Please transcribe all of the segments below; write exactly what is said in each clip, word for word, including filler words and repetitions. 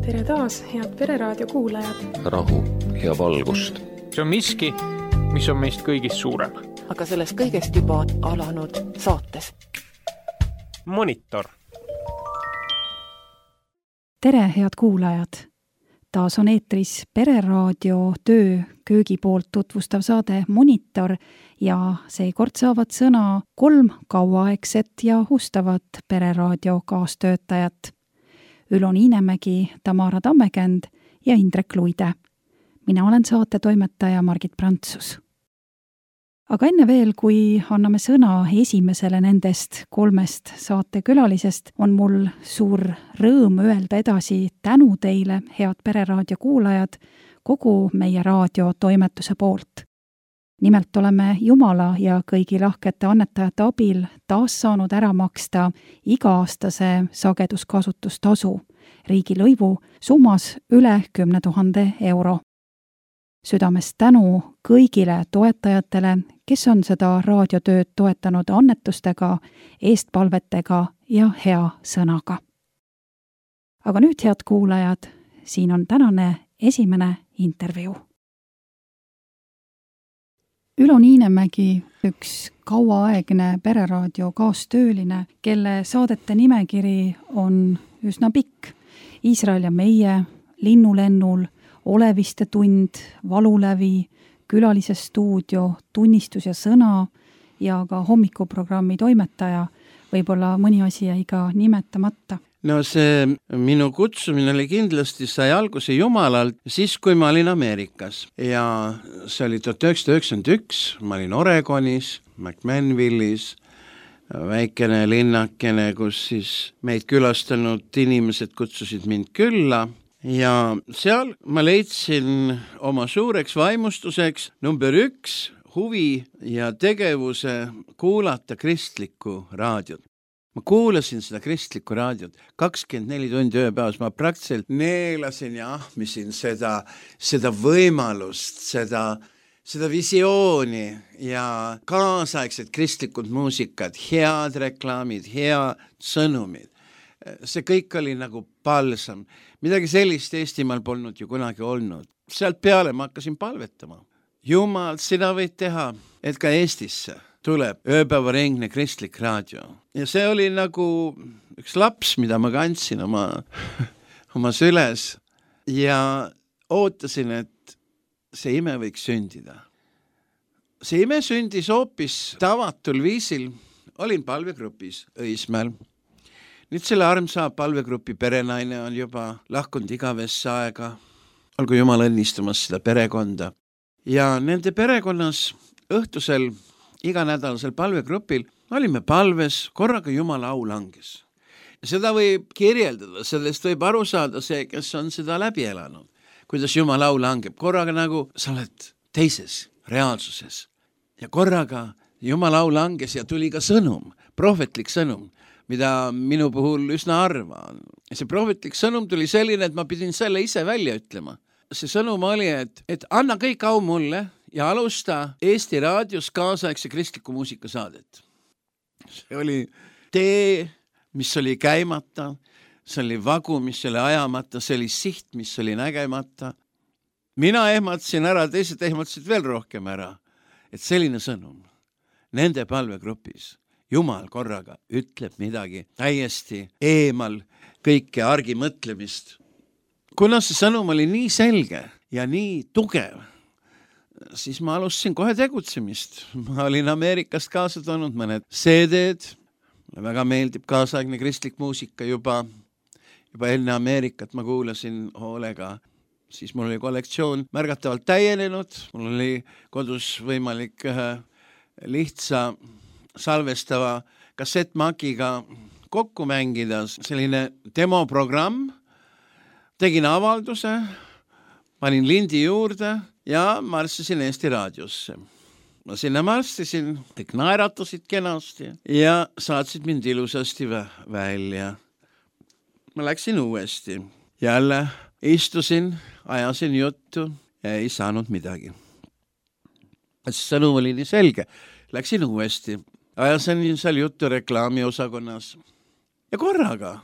Tere taas, head Pereraadio kuulajad. Rahu ja valgust. See on miski, mis on meist kõigist suurem. Aga sellest kõigest juba alanud saates. Monitor. Tere, head kuulajad! Taas on eetris Pereraadio töö köögi poolt tutvustav saade Monitor ja seekord saavad sõna kolm kauaaegset ja hustavat Pereraadio kaastöötajat. Ülo Niinemägi, Tamara Tammekänd ja Indrek Luide. Mina olen saate toimetaja Margit Prantsus. Aga enne veel, kui anname sõna esimesele nendest kolmest saatekülalisest, on mul suur rõõm öelda edasi tänu teile, head Pereraadio kuulajad, kogu meie raadiotoimetuse poolt. Nimelt oleme Jumala ja kõigi lahkete annetajate abil taas saanud ära maksta iga-aastase sageduskasutustasu riigilõivu summas üle kümne tuhande euro. Südamest tänu kõigile toetajatele, kes on seda raadiotööd toetanud annetustega, eestpalvetega ja hea sõnaga. Aga nüüd, head kuulajad, siin on tänane esimene intervjuu. Ülo Niinemägi, üks kauaaegne Pereraadio kaastööline, kelle saadete nimekiri on üsna pikk. Iisrael ja meie, Linnulennul, Oleviste tund, Valulävi, Külalise stuudio, Tunnistus ja sõna ja ka hommikuprogrammi toimetaja. Võib-olla mõni asi jäi ka nimetamata. No see minu kutsumine oli kindlasti sai alguse Jumalalt siis, kui ma olin Ameerikas. Ja see oli tuhat üheksasada üheksakümmend üks, ma olin Oregonis, McMinnvillis, väikene linnakene, kus siis meid külastanud inimesed kutsusid mind külla. Ja seal ma leidsin oma suureks vaimustuseks number üks huvi ja tegevuse kuulata kristlikku raadiot. Ma kuulasin seda kristlikku raadiot kakskümmend neli tundi ööpäevas, ma praktiliselt neelasin ja ahmisin seda, seda võimalust, seda, seda visiooni ja kaasaegset kristlikud muusikad, head reklaamid, head sõnumid. See kõik oli nagu palsam. Midagi sellist Eestimaal polnud ju kunagi olnud. Sealt peale ma hakkasin palvetama. Jumal, sina võid teha, et ka Eestisse tuleb ööpäevaringne kristlik raadio. Ja see oli nagu üks laps, mida ma kandsin oma, oma süles ja ootasin, et see ime võiks sündida. See ime sündis hoopis tavatul viisil. Olin palvegrupis Õismäel. Nüüd selle armsa palvegrupi perenaine on juba lahkunud igavesse aega. Olgu Jumal õnnistamas seda perekonda. Ja nende perekonnas õhtusel iganädalasel palvegrupil olime palves, korraga Jumala au langes. Seda võib kirjeldada, sellest võib aru saada see, kes on seda läbi elanud. Kuidas Jumala au langeb, korraga nagu sa oled teises reaalsuses. Ja korraga Jumala au langes ja tuli ka sõnum, prohvetlik sõnum, mida minu puhul üsna harva on. See prohvetlik sõnum tuli selline, et ma pidin selle ise välja ütlema. See sõnum oli, et, et anna kõik au mulle ja alusta Eesti raadios kaasaegse kristliku muusika saadet. See oli tee, mis oli käimata, see oli vagu, mis oli ajamata, see oli siht, mis oli nägemata. Mina ehmatasin ära, teised ehmatasid veel rohkem ära, et selline sõnum nende palvegrupis. Jumal korraga ütleb midagi täiesti eemal kõike argi mõtlemist. Kuna see sõnum oli nii selge ja nii tugev, siis ma alustasin kohe tegutsemist. Ma olin Ameerikast kaasa toonud mõned C D-d. Mulle väga meeldib kaasaegne kristlik muusika juba, juba enne Ameerikat ma kuulasin hoolega. Siis mul oli kollektsioon märgatavalt täienenud. Mul oli kodus võimalik lihtsa salvestava kassettmakiga kokku mängida. Selline demoprogramm. Tegin avalduse, panin lindi juurde ja marssisin Eesti raadiosse. Ma sinna marssisin, kõik naeratasid kenasti ja saatsid mind ilusasti välja. Ma läksin uuesti. Jälle istusin, ajasin juttu ja ei saanud midagi. Sõnum oli nii selge. Läksin uuesti. Ajasin seal juttu reklaamiosakonnas. Ja korraga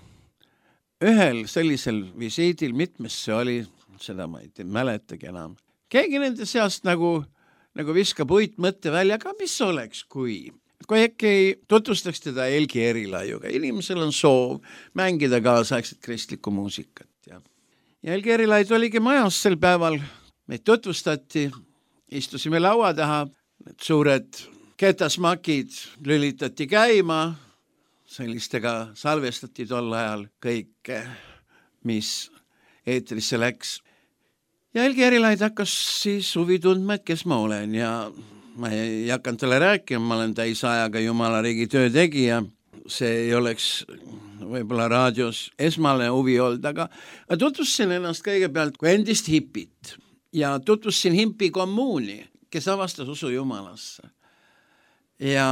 ühel sellisel visiidil, mitmes see oli, seda ma ei tea, mäletagi enam. Keegi nende seast nagu, nagu viskab uitmõtte välja, aga mis oleks, kui... kui äkki tutvustaks teda Helgi Erilaiuga. Inimesel on soov mängida kaasaegset kristlikku muusikat. Ja, ja Helgi Erilaid oligi majas sel päeval. Meid tutvustati, istusime laua taha, need suured ketasmakid lülitati käima, sellistega salvestati tol ajal kõik, mis eetrisse läks. Ja Helgi Erilaid hakkas siis huvi tundma, et kes ma olen ja ma ei hakanud talle rääkima, ma olen täis ajaga Jumala riigi töö tegija. See ei oleks võib-olla raadios esmale huvi olnud, aga tutvustasin ennast kõigepealt kui endist hipit ja tutvustasin himpi kommuuni, kes avastas usu Jumalasse. Ja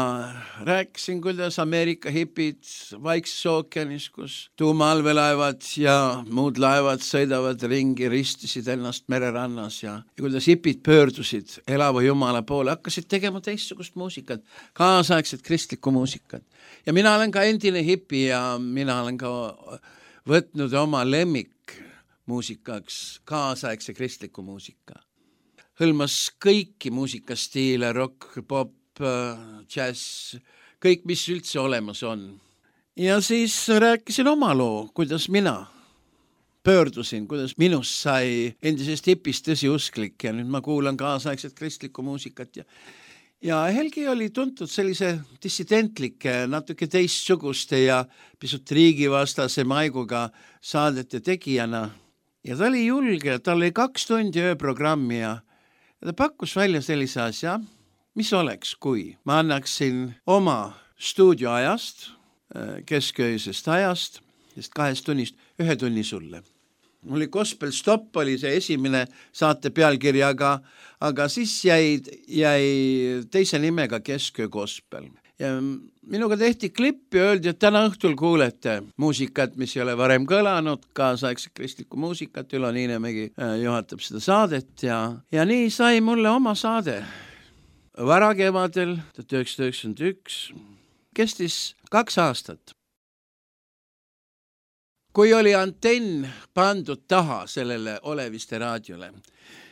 rääkisin, kuidas Ameerika hipid Vaikses ookeanis, kus tuumaallvelaevad ja muud laevad sõidavad ringi, ristisid ennast mererannas ja, ja kuidas hipid pöördusid elava Jumala poole, hakkasid tegema teistsugust muusikat, kaasaegset kristlikku muusikat. Ja mina olen ka endine hipi ja mina olen ka võtnud oma lemmik muusikaks kaasaegse kristliku muusika. Hõlmas kõiki muusikastiile, rock, pop, jazz, kõik, mis üldse olemas on. Ja siis rääkisin oma loo, kuidas mina pöördusin, kuidas minust sai endisest hipist tõsiusklik ja nüüd ma kuulan kaasaegset kristlikku muusikat. Ja, ja Helgi oli tuntud sellise dissidentlike, natuke teistsuguste ja pisut riigivastase maiguga saadete tegijana. Ja ta oli julge, tal oli kaks tundi ööprogrammi ja ta pakkus välja sellise asja, mis oleks, kui ma annaksin oma stuudioajast, keskööisest ajast, sest kahest tunnist, ühe tunni sulle. Mul oli Gospel Stop, oli see esimene saate pealkiri, aga, aga siis jäi, jäi teise nimega Kesköö Gospel. Ja minuga tehti klipp ja öeldi, et täna õhtul kuulete muusikat, mis ei ole varem kõlanud, kaasaegse kristlikku muusikat, Ülo Niinemägi juhatab seda saadet ja, ja nii sai mulle oma saade. Varakevadel tuhat üheksasada üheksakümmend üks kestis kaks aastat. Kui oli antenn pandud taha sellele Oleviste raadiole,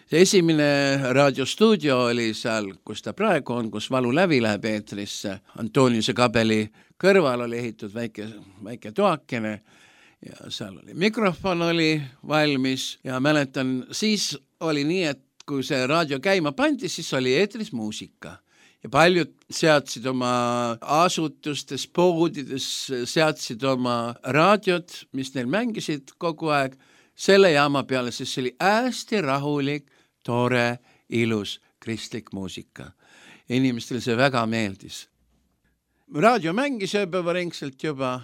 see esimene raadiostuudio oli seal, kus ta praegu on, kus Valu läbi läheb eetrisse, Antoniuse kabeli kõrval oli ehitud väike, väike toakene ja seal oli mikrofon oli valmis ja mäletan, siis oli nii, et kui see raadio käima pandi, siis oli eetris muusika. Ja paljud seadsid oma asutustes, poodides, seadsid oma raadiot, mis neil mängisid kogu aeg, selle jaama peale, sest see oli hästi rahulik, tore, ilus, kristlik muusika. Inimestel see väga meeldis. Raadio mängis ööpäevaringselt juba,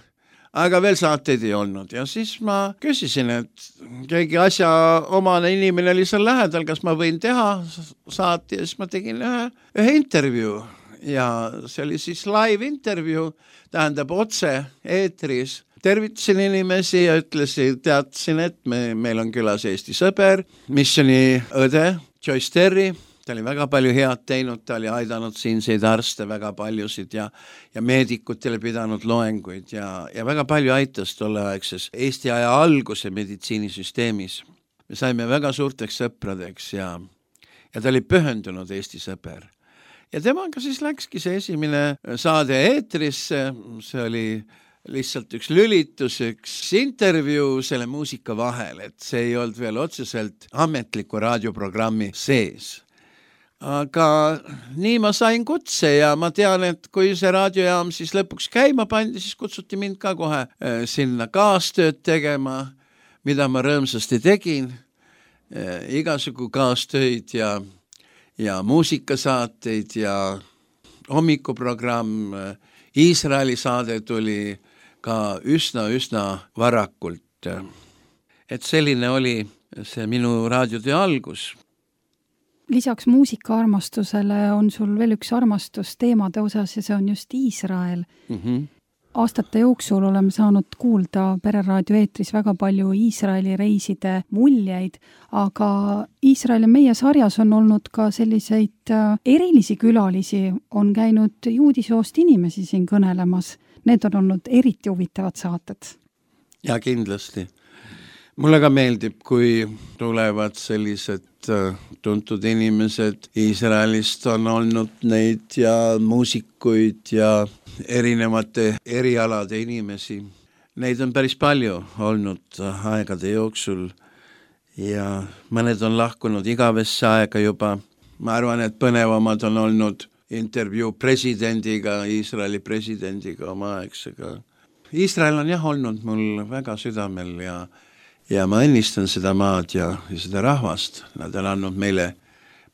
aga veel saateid ei olnud ja siis ma küsisin, et keegi asja omane inimene oli seal lähedal, kas ma võin teha saate ja siis ma tegin ühe, ühe intervjuu ja see oli siis live intervjuu, tähendab otse eetris. Tervitasin inimesi ja ütlesin, teadsin, et me, meil on külas Eesti sõber, missioni õde Joyce Terry. Ta oli väga palju head teinud, ta oli aidanud siinseid arste väga paljusid ja, ja meedikutele pidanud loenguid ja, ja väga palju aitas tolleaegses Eesti aja alguse meditsiinisüsteemis. Me saime väga suurteks sõpradeks ja, ja ta oli pühendunud Eesti sõber. Ja temaga siis läkski see esimene saade eetrisse, see oli lihtsalt üks lülitus, üks intervjuu selle muusika vahel, et see ei olnud veel otseselt ametliku raadioprogrammi sees. Aga nii ma sain kutse ja ma tean, et kui see raadiojaam siis lõpuks käima pandi, siis kutsuti mind ka kohe sinna kaastööd tegema, mida ma rõõmsasti tegin, igasugu kaastöid ja, ja muusikasaateid ja hommikuprogramm, Iisraeli saade tuli ka üsna, üsna varakult. Et selline oli see minu raadiotöö algus. Lisaks muusikaarmastusele on sul veel üks armastus teemade osas ja see on just Iisrael. Mm-hmm. Aastate jooksul oleme saanud kuulda Pereraadio eetris väga palju Iisraeli reiside muljeid, aga Iisraeli meie sarjas on olnud ka selliseid erilisi külalisi, on käinud juudisoost inimesi siin kõnelemas. Need on olnud eriti huvitavad saated. Ja kindlasti. Mulle ka meeldib, kui tulevad sellised tuntud inimesed. Iisraelist on olnud neid ja muusikuid ja erinevate erialade inimesi. Neid on päris palju olnud aegade jooksul ja mõned on lahkunud igavesse aega juba. Ma arvan, et põnevamad on olnud intervjuu presidendiga, Iisraeli presidendiga oma aegsega. Iisrael on jah olnud mul väga südamel ja Ja ma õnnistan seda maad ja, ja seda rahvast. Nad on andnud meile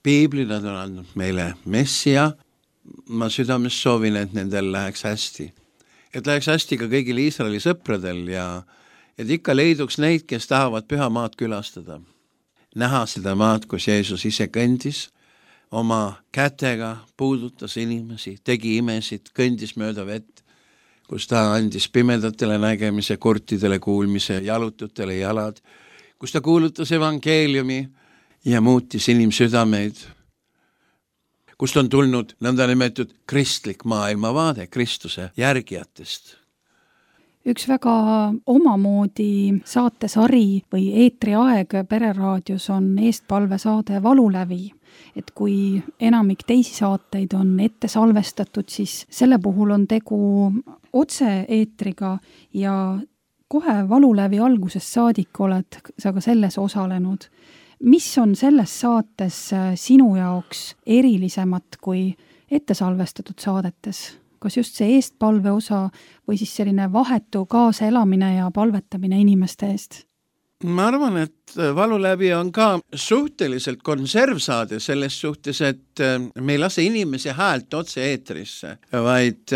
piibli, nad on andnud meile messia. Ma südames soovin, et nendel läheks hästi. Et läheks hästi ka kõigil Iisraeli sõpradel ja et ikka leiduks neid, kes tahavad püha maad külastada. Näha seda maad, kus Jeesus ise kõndis, oma kätega puudutas inimesi, tegi imesid, kõndis mööda vett, kus ta andis pimedatele nägemise, kurtidele kuulmise, jalututele jalad, kus ta kuulutas evangeeliumi ja muutis inimsüdameid, kust on tulnud nõnda nimetud kristlik maailmavaade Kristuse järgijatest. Üks väga omamoodi saatesari või eetriaeg Pereraadios on eestpalvesaade Valulävi. Et kui enamik teisi saateid on ette salvestatud, siis selle puhul on tegu otse-eetriga ja kohe Valulävi algusest saadik oled sa ka selles osalenud. Mis on selles saates sinu jaoks erilisemat kui ette salvestatud saadetes? Kas just see eestpalve osa või siis selline vahetu kaasaelamine ja palvetamine inimeste eest? Ma arvan, et Valulävi on ka suhteliselt konservsaade selles suhtes, et me ei lase inimese häält otse eetrisse, vaid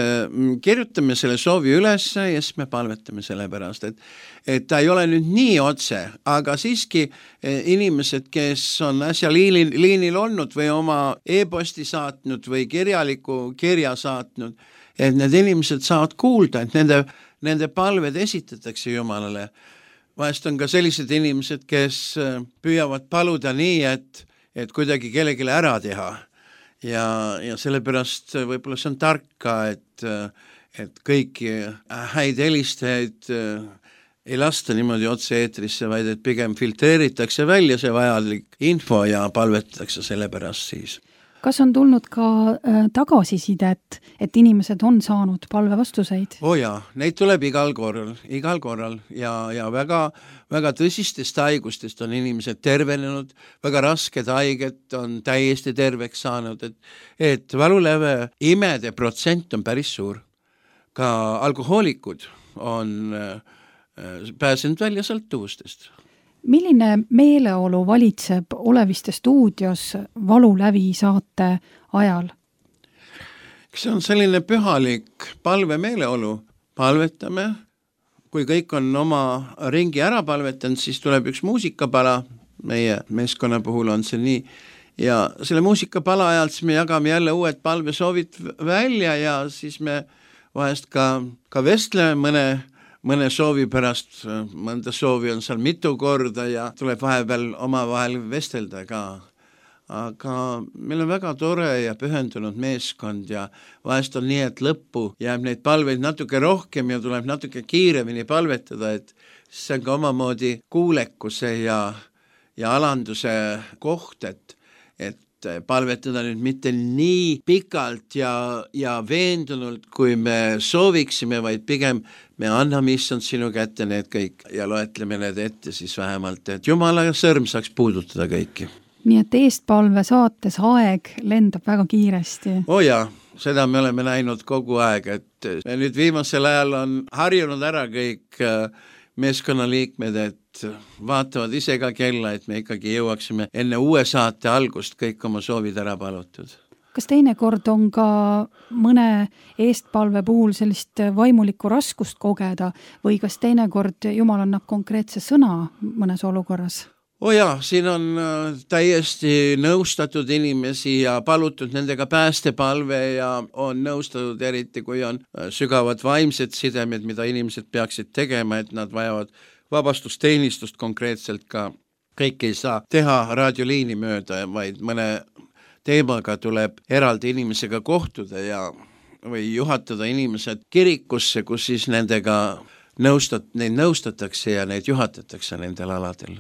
kirjutame selle soovi üles ja siis me palvetame selle pärast, et, et ta ei ole nüüd nii otse, aga siiski inimesed, kes on äsja liinil, liinil olnud või oma e-posti saatnud või kirjaliku kirja saatnud, et need inimesed saavad kuulda, et nende, nende palved esitatakse Jumalale. Vahest on ka sellised inimesed, kes püüavad paluda nii, et, et kuidagi kellegile ära teha. Ja, ja sellepärast võib-olla see on tark ka, et, et kõiki häid helistajaid ei lasta niimoodi otse eetrisse, vaid et pigem filtreeritakse välja see vajalik info ja palvetatakse selle pärast siis. Kas on tulnud ka äh, tagasisidet, et inimesed on saanud palvevastuseid? Oh jaa, neid tuleb igal korral, igal korral ja, ja väga, väga tõsistest haigustest on inimesed tervenenud, väga rasked haiged on täiesti terveks saanud, et, et Valuläve imede protsent on päris suur. Ka alkohoolikud on äh, pääsenud välja sõltuvustest. Milline meeleolu valitseb Oleviste stuudios Valulävi saate ajal? See on selline pühalik palve meeleolu. Palvetame. Kui kõik on oma ringi ära palvetanud, siis tuleb üks muusikapala. Meie meeskonna puhul on see nii. Ja selle muusikapala ajal siis me jagame jälle uued palvesoovid välja ja siis me vahest ka, ka vestleme mõne mõne soovi pärast, mõnda soovi on seal mitu korda ja tuleb vahepeal omavahel vestelda ka. Aga meil on väga tore ja pühendunud meeskond ja vahest on nii, et lõppu jääb neid palveid natuke rohkem ja tuleb natuke kiiremini palvetada, et see on ka omamoodi kuulekuse ja, ja alanduse koht, et, et palvetada nüüd mitte nii pikalt ja, ja veendunult, kui me sooviksime, vaid pigem me anname issand sinu kätte need kõik ja loetleme need ette siis vähemalt, et Jumala sõrm saaks puudutada kõiki. Nii et eestpalve saates aeg lendab väga kiiresti. Oh jaa, seda me oleme näinud kogu aeg, et nüüd viimasel ajal on harjunud ära kõik meeskonnaliikmed, et vaatavad ise ka kella, et me ikkagi jõuaksime enne uue saate algust kõik oma soovid ära palutud. Kas teinekord on ka mõne eestpalve puhul sellist vaimulikku raskust kogeda või kas teinekord Jumal annab konkreetse sõna mõnes olukorras? Oh jaa, siin on täiesti nõustatud inimesi ja palutud nendega päästepalve ja on nõustatud eriti, kui on sügavad vaimsed sidemed, mida inimesed peaksid tegema, et nad vajavad vabastusteenistust konkreetselt ka. Kõik ei saa teha raadioliini mööda, vaid mõne teemaga tuleb eraldi inimesega kohtuda ja või juhatada inimesed kirikusse, kus siis nendega nõustat-, neid nõustatakse ja neid juhatatakse nendel aladel.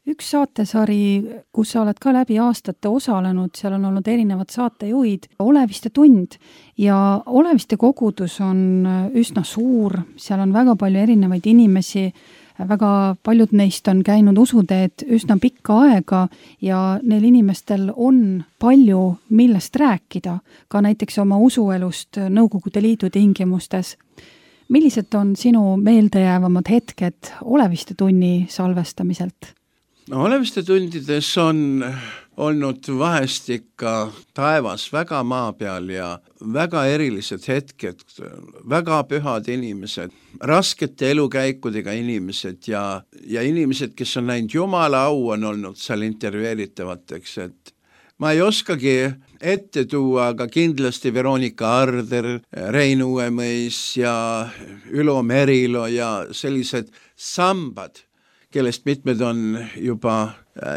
Üks saatesari, kus sa oled ka läbi aastate osalenud, seal on olnud erinevad saatejuhid, Oleviste tund ja Oleviste kogudus on üsna suur, seal on väga palju erinevaid inimesi, väga paljud neist on käinud usuteed üsna pikka aega ja neil inimestel on palju millest rääkida, ka näiteks oma usuelust Nõukogude Liidu tingimustes. Millised on sinu meeldejäävamad hetked Oleviste tunni salvestamiselt? No, Oleviste tundides on olnud vahest ikka taevas väga maa peal ja väga erilised hetked, väga pühad inimesed, raskete elukäikudega inimesed ja, ja inimesed, kes on näinud Jumala au, on olnud seal intervjueeritavateks, et ma ei oskagi ette tuua, aga kindlasti Veronika Arder, Rein Uuemõis ja Ülo Merilo ja sellised sambad, kellest mitmed on juba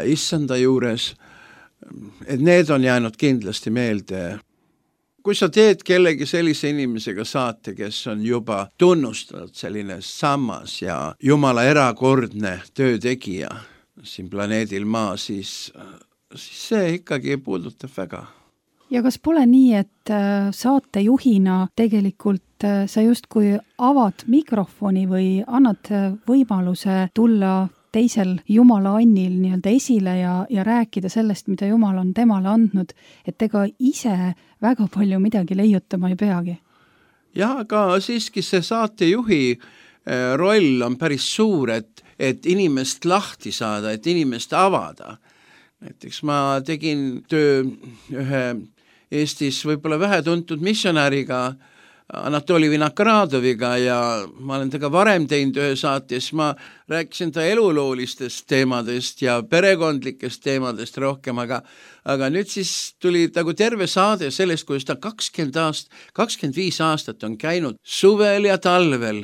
issanda juures, et need on jäänud kindlasti meelde. Kui sa teed kellegi sellise inimesega saate, kes on juba tunnustatud selline sammas ja Jumala erakordne töötegija siin planeedil Maa, siis, siis see ikkagi puudutab väga. Ja kas pole nii, et saatejuhina tegelikult sa justkui avad mikrofoni või annad võimaluse tulla teisel Jumala annil nii-öelda esile ja, ja rääkida sellest, mida Jumal on temale andnud, et ega ise väga palju midagi leiutama ei peagi? Ja, aga siiski see saatejuhi roll on päris suur, et, et inimest lahti saada, et inimest avada. Näiteks ma tegin töö ühe Eestis võib-olla vähe tuntud missionääriga Anatoli Vinokradoviga ja ma olen tega varem teinud ühe saates, ma rääkisin ta eluloolistest teemadest ja perekondlikest teemadest rohkem, aga, aga nüüd siis tuli nagu terve saade sellest, kuidas ta kakskümmend aast, kakskümmend viis aastat on käinud suvel ja talvel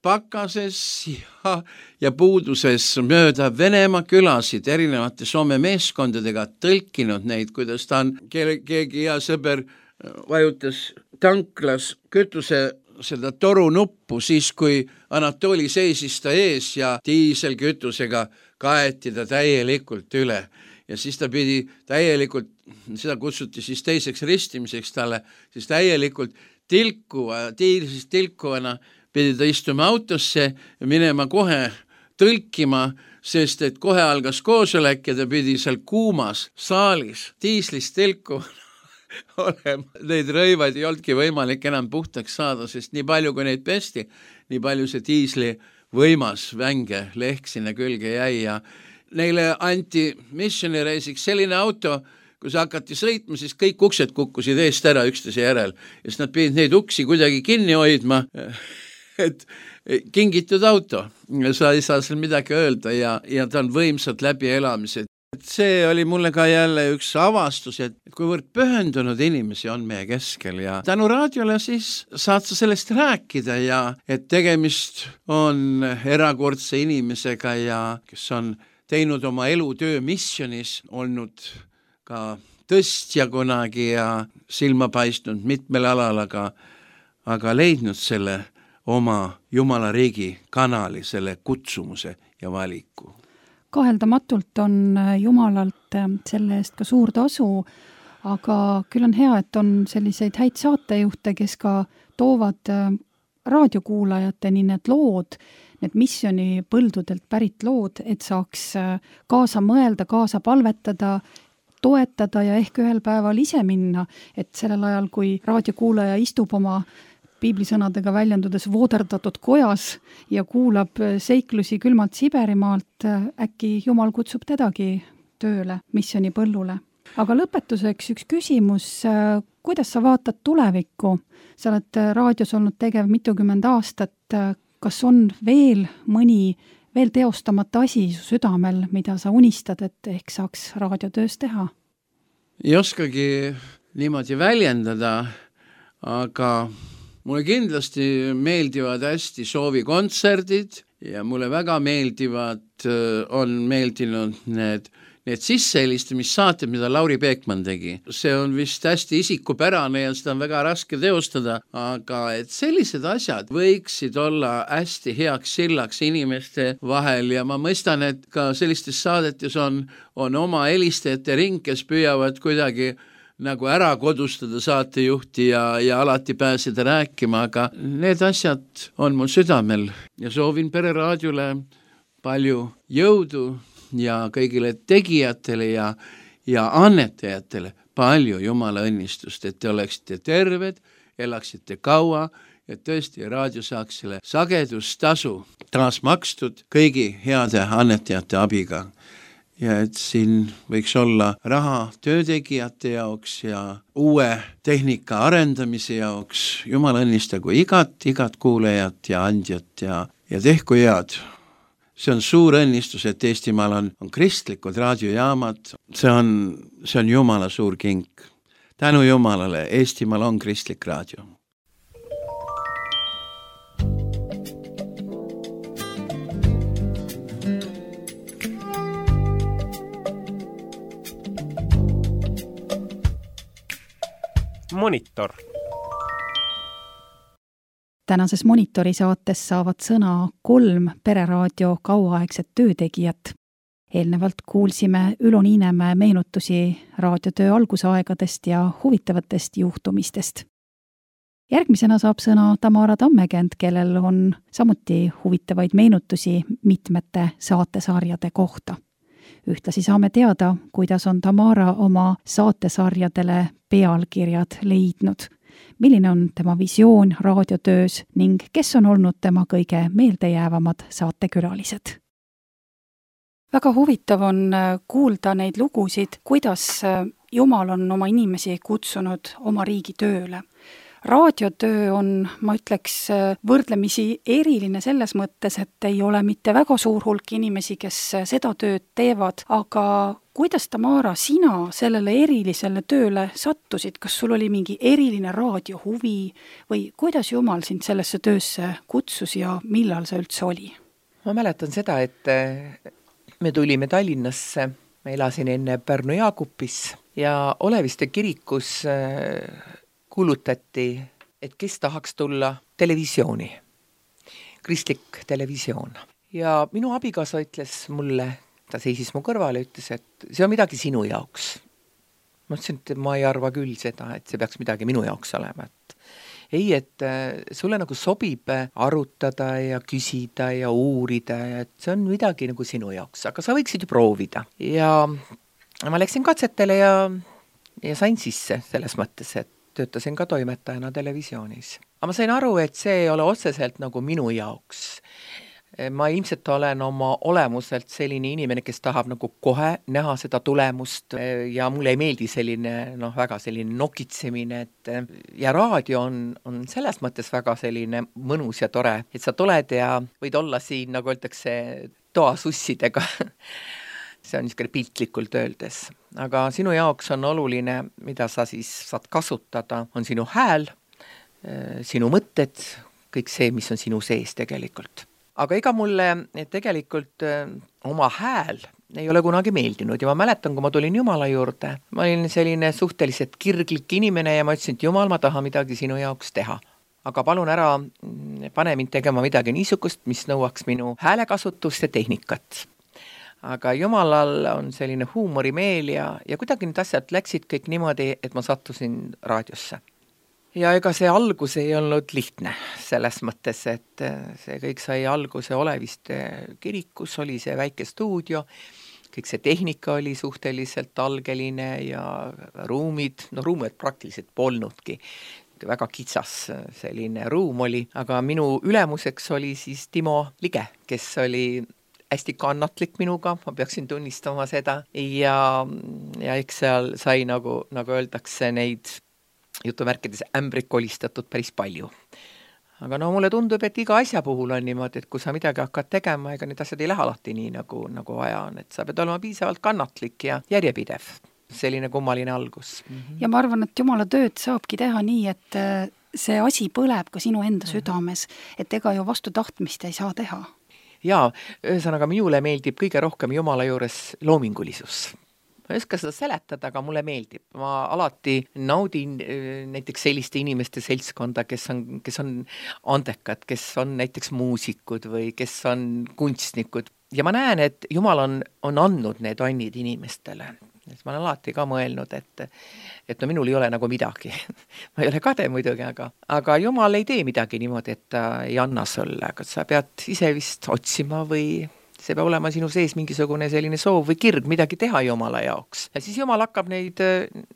pakases ja, ja puuduses mööda Venemaa külasid erinevate Soome meeskondadega, tõlkinud neid, kuidas ta on, keegi hea sõber vajutas tanklas kütuse seda toru nuppu, siis kui Anatoli seisis ta ees ja diiselkütusega kaeti ta täielikult üle. Ja siis ta pidi täielikult, seda kutsuti siis teiseks ristimiseks talle, siis täielikult tilkuva, tiilisest tilkuvana pidi ta istuma autosse ja minema kohe tõlkima, sest et kohe algas koosolek ja ta pidi seal kuumas saalis diislist tilkuvana olema. Neid rõivaid ei olnudki võimalik enam puhtaks saada, sest nii palju kui neid pesti, nii palju see diisli võimas vänge lehk sinna külge jäi ja neile anti missioni reisiks selline auto, kui sa hakati sõitma, siis kõik uksed kukkusid eest ära üksteise järel ja siis nad pidid neid uksi kuidagi kinni hoidma, et kingitud auto, sa ei saa seal midagi öelda ja, ja ta on võimsad läbielamised. See oli mulle ka jälle üks avastus, et kuivõrd pühendunud inimesi on meie keskel ja tänu raadiole siis saad sa sellest rääkida ja et tegemist on erakordse inimesega ja kes on teinud oma elutöö missionis, olnud ka tõstja kunagi ja silma paistnud mitmel alal, aga, aga leidnud selle oma Jumala riigi kanali, selle kutsumuse ja valiku. Kaheldamatult on Jumalalt selle eest ka suur tasu, aga küll on hea, et on selliseid häid saatejuhte, kes ka toovad raadiokuulajateni need lood, need missiooni põldudelt pärit lood, et saaks kaasa mõelda, kaasa palvetada, toetada ja ehk ühel päeval ise minna, et sellel ajal, kui raadiokuulaja istub oma piiblisõnadega väljendudes vooderdatud kojas ja kuulab seiklusi külmalt Siberimaalt, äkki Jumal kutsub tedagi tööle missiooni põllule. Aga lõpetuseks üks küsimus, kuidas sa vaatad tulevikku? Sa oled raadios olnud tegev mitukümmend aastat, kas on veel mõni veel teostamata asi su südamel, mida sa unistad, et ehk saaks raadiotöös teha? Ei oskagi niimoodi väljendada, aga mulle kindlasti meeldivad hästi soovikontserdid ja mulle väga meeldivad, on meeldinud need need sissehelistamissaated, mida Lauri Peekman tegi, see on vist hästi isikupärane ja seda on väga raske teostada, aga et sellised asjad võiksid olla hästi heaks sillaks inimeste vahel ja ma mõistan, et ka sellistes saadetes on, on oma helistajate ring, kes püüavad kuidagi nagu ära kodustada saatejuhti ja, ja alati pääseda rääkima, aga need asjad on mul südamel ja soovin Pereraadiole palju jõudu ja kõigile tegijatele ja, ja annetajatele palju Jumala õnnistust, et te oleksite terved, elaksite kaua ja tõesti raadio saaks selle sagedustasu taas makstud kõigi heade annetajate abiga. Ja et siin võiks olla raha töötegijate jaoks ja uue tehnika arendamise jaoks. Jumal õnnistagu igat, igat kuulejat ja andjat ja, ja tehku head. See on suur õnnistus, et Eestimaal on, on kristlikud raadiojaamad. See on, see on Jumala suur kink. Tänu Jumalale, Eestimaal on kristlik raadio. Monitor. Tänases Monitori saates saavad sõna kolm Pereraadio kauaaegset töötegijat. Eelnevalt kuulsime Ülo Niinemäe meenutusi raadiotöö algusaegadest ja huvitavatest juhtumistest. Järgmisena saab sõna Tamara Tammekend, kellel on samuti huvitavaid meenutusi mitmete saatesarjade kohta. Ühtlasi saame teada, kuidas on Tamara oma saatesarjadele pealkirjad leidnud, milline on tema visioon raadiotöös ning kes on olnud tema kõige meeldejäävamad saatekülalised. Väga huvitav on kuulda neid lugusid, kuidas Jumal on oma inimesi kutsunud oma riigi tööle. Raadiotöö on, ma ütleks, võrdlemisi eriline selles mõttes, et ei ole mitte väga suur hulk inimesi, kes seda tööd teevad, aga kuidas, Tamara, sina sellele erilisele tööle sattusid? Kas sul oli mingi eriline raadiohuvi või kuidas Jumal sind sellesse töösse kutsus ja millal see üldse oli? Ma mäletan seda, et me tulime Tallinnasse, ma elasin enne Pärnu Jaakupis ja Oleviste kirikus kuulutati, et kes tahaks tulla televisiooni, kristlik televisioon. Ja minu abikaasa ütles mulle, ta seisis mu kõrval ja ütles, et see on midagi sinu jaoks. Ma ütlesin, et ma ei arva küll seda, et see peaks midagi minu jaoks olema. Et ei, et sulle nagu sobib arutada ja küsida ja uurida, et see on midagi nagu sinu jaoks, aga sa võiksid ju proovida. Ja ma läksin katsetele ja, ja sain sisse selles mõttes, et töötasin ka toimetajana televisioonis. Aga ma sain aru, et see ei ole otseselt nagu minu jaoks. Ma ilmselt olen oma olemuselt selline inimene, kes tahab nagu kohe näha seda tulemust ja mulle ei meeldi selline, noh, väga selline nokitsemine, et ja raadio on, on selles mõttes väga selline mõnus ja tore, et sa tuled ja võid olla siin, nagu öeldakse, toasussidega. See on niisugune piltlikult öeldes. Aga sinu jaoks on oluline, mida sa siis saad kasutada, on sinu hääl, sinu mõtted, kõik see, mis on sinu sees tegelikult. Aga ega mulle tegelikult oma hääl ei ole kunagi meeldinud ja ma mäletan, kui ma tulin Jumala juurde, ma olin selline suhteliselt kirglik inimene ja ma ütlesin, et Jumal, ma tahan midagi sinu jaoks teha. Aga palun ära pane mind tegema midagi niisugust, mis nõuaks minu häälekasutust ja tehnikat. Aga Jumalal on selline huumorimeel ja, ja kuidagi need asjad läksid kõik niimoodi, et ma sattusin raadiosse. Ja ega see algus ei olnud lihtne selles mõttes, et see kõik sai alguse Oleviste kirikus, oli see väike stuudio, kõik see tehnika oli suhteliselt algeline ja ruumid, no ruumid praktiliselt polnudki. Väga kitsas selline ruum oli, aga minu ülemuseks oli siis Timo Lige, kes oli hästi kannatlik minuga, ma peaksin tunnistama seda ja, ja eks seal sai nagu, nagu öeldakse neid jutumärkides ämbrid kolistatud päris palju. Aga no mulle tundub, et iga asja puhul on niimoodi, et kui sa midagi hakkad tegema, ega need asjad ei lähe alati nii, nagu, nagu vaja on, et sa pead olema piisavalt kannatlik ja järjepidev. Selline kummaline algus. Mm-hmm. Ja ma arvan, et Jumala tööd saabki teha nii, et see asi põleb ka sinu enda südames, et ega ju vastu tahtmist ei saa teha. Jaa, ühesõnaga minule meeldib kõige rohkem Jumala juures loomingulisus. Ma ei oska seda seletada, aga mulle meeldib. Ma alati naudin näiteks selliste inimeste seltskonda, kes on, kes on andekad, kes on näiteks muusikud või kes on kunstnikud. Ja ma näen, et Jumal on, on andnud need annid inimestele. Ma olen alati ka mõelnud, et, et no minul ei ole nagu midagi. Ma ei ole kade muidugi, aga, aga Jumal ei tee midagi niimoodi, et ta ei anna sulle, aga sa pead ise vist otsima või see peab olema sinu sees mingisugune selline soov või kirg midagi teha Jumala jaoks. Ja siis Jumal hakkab neid,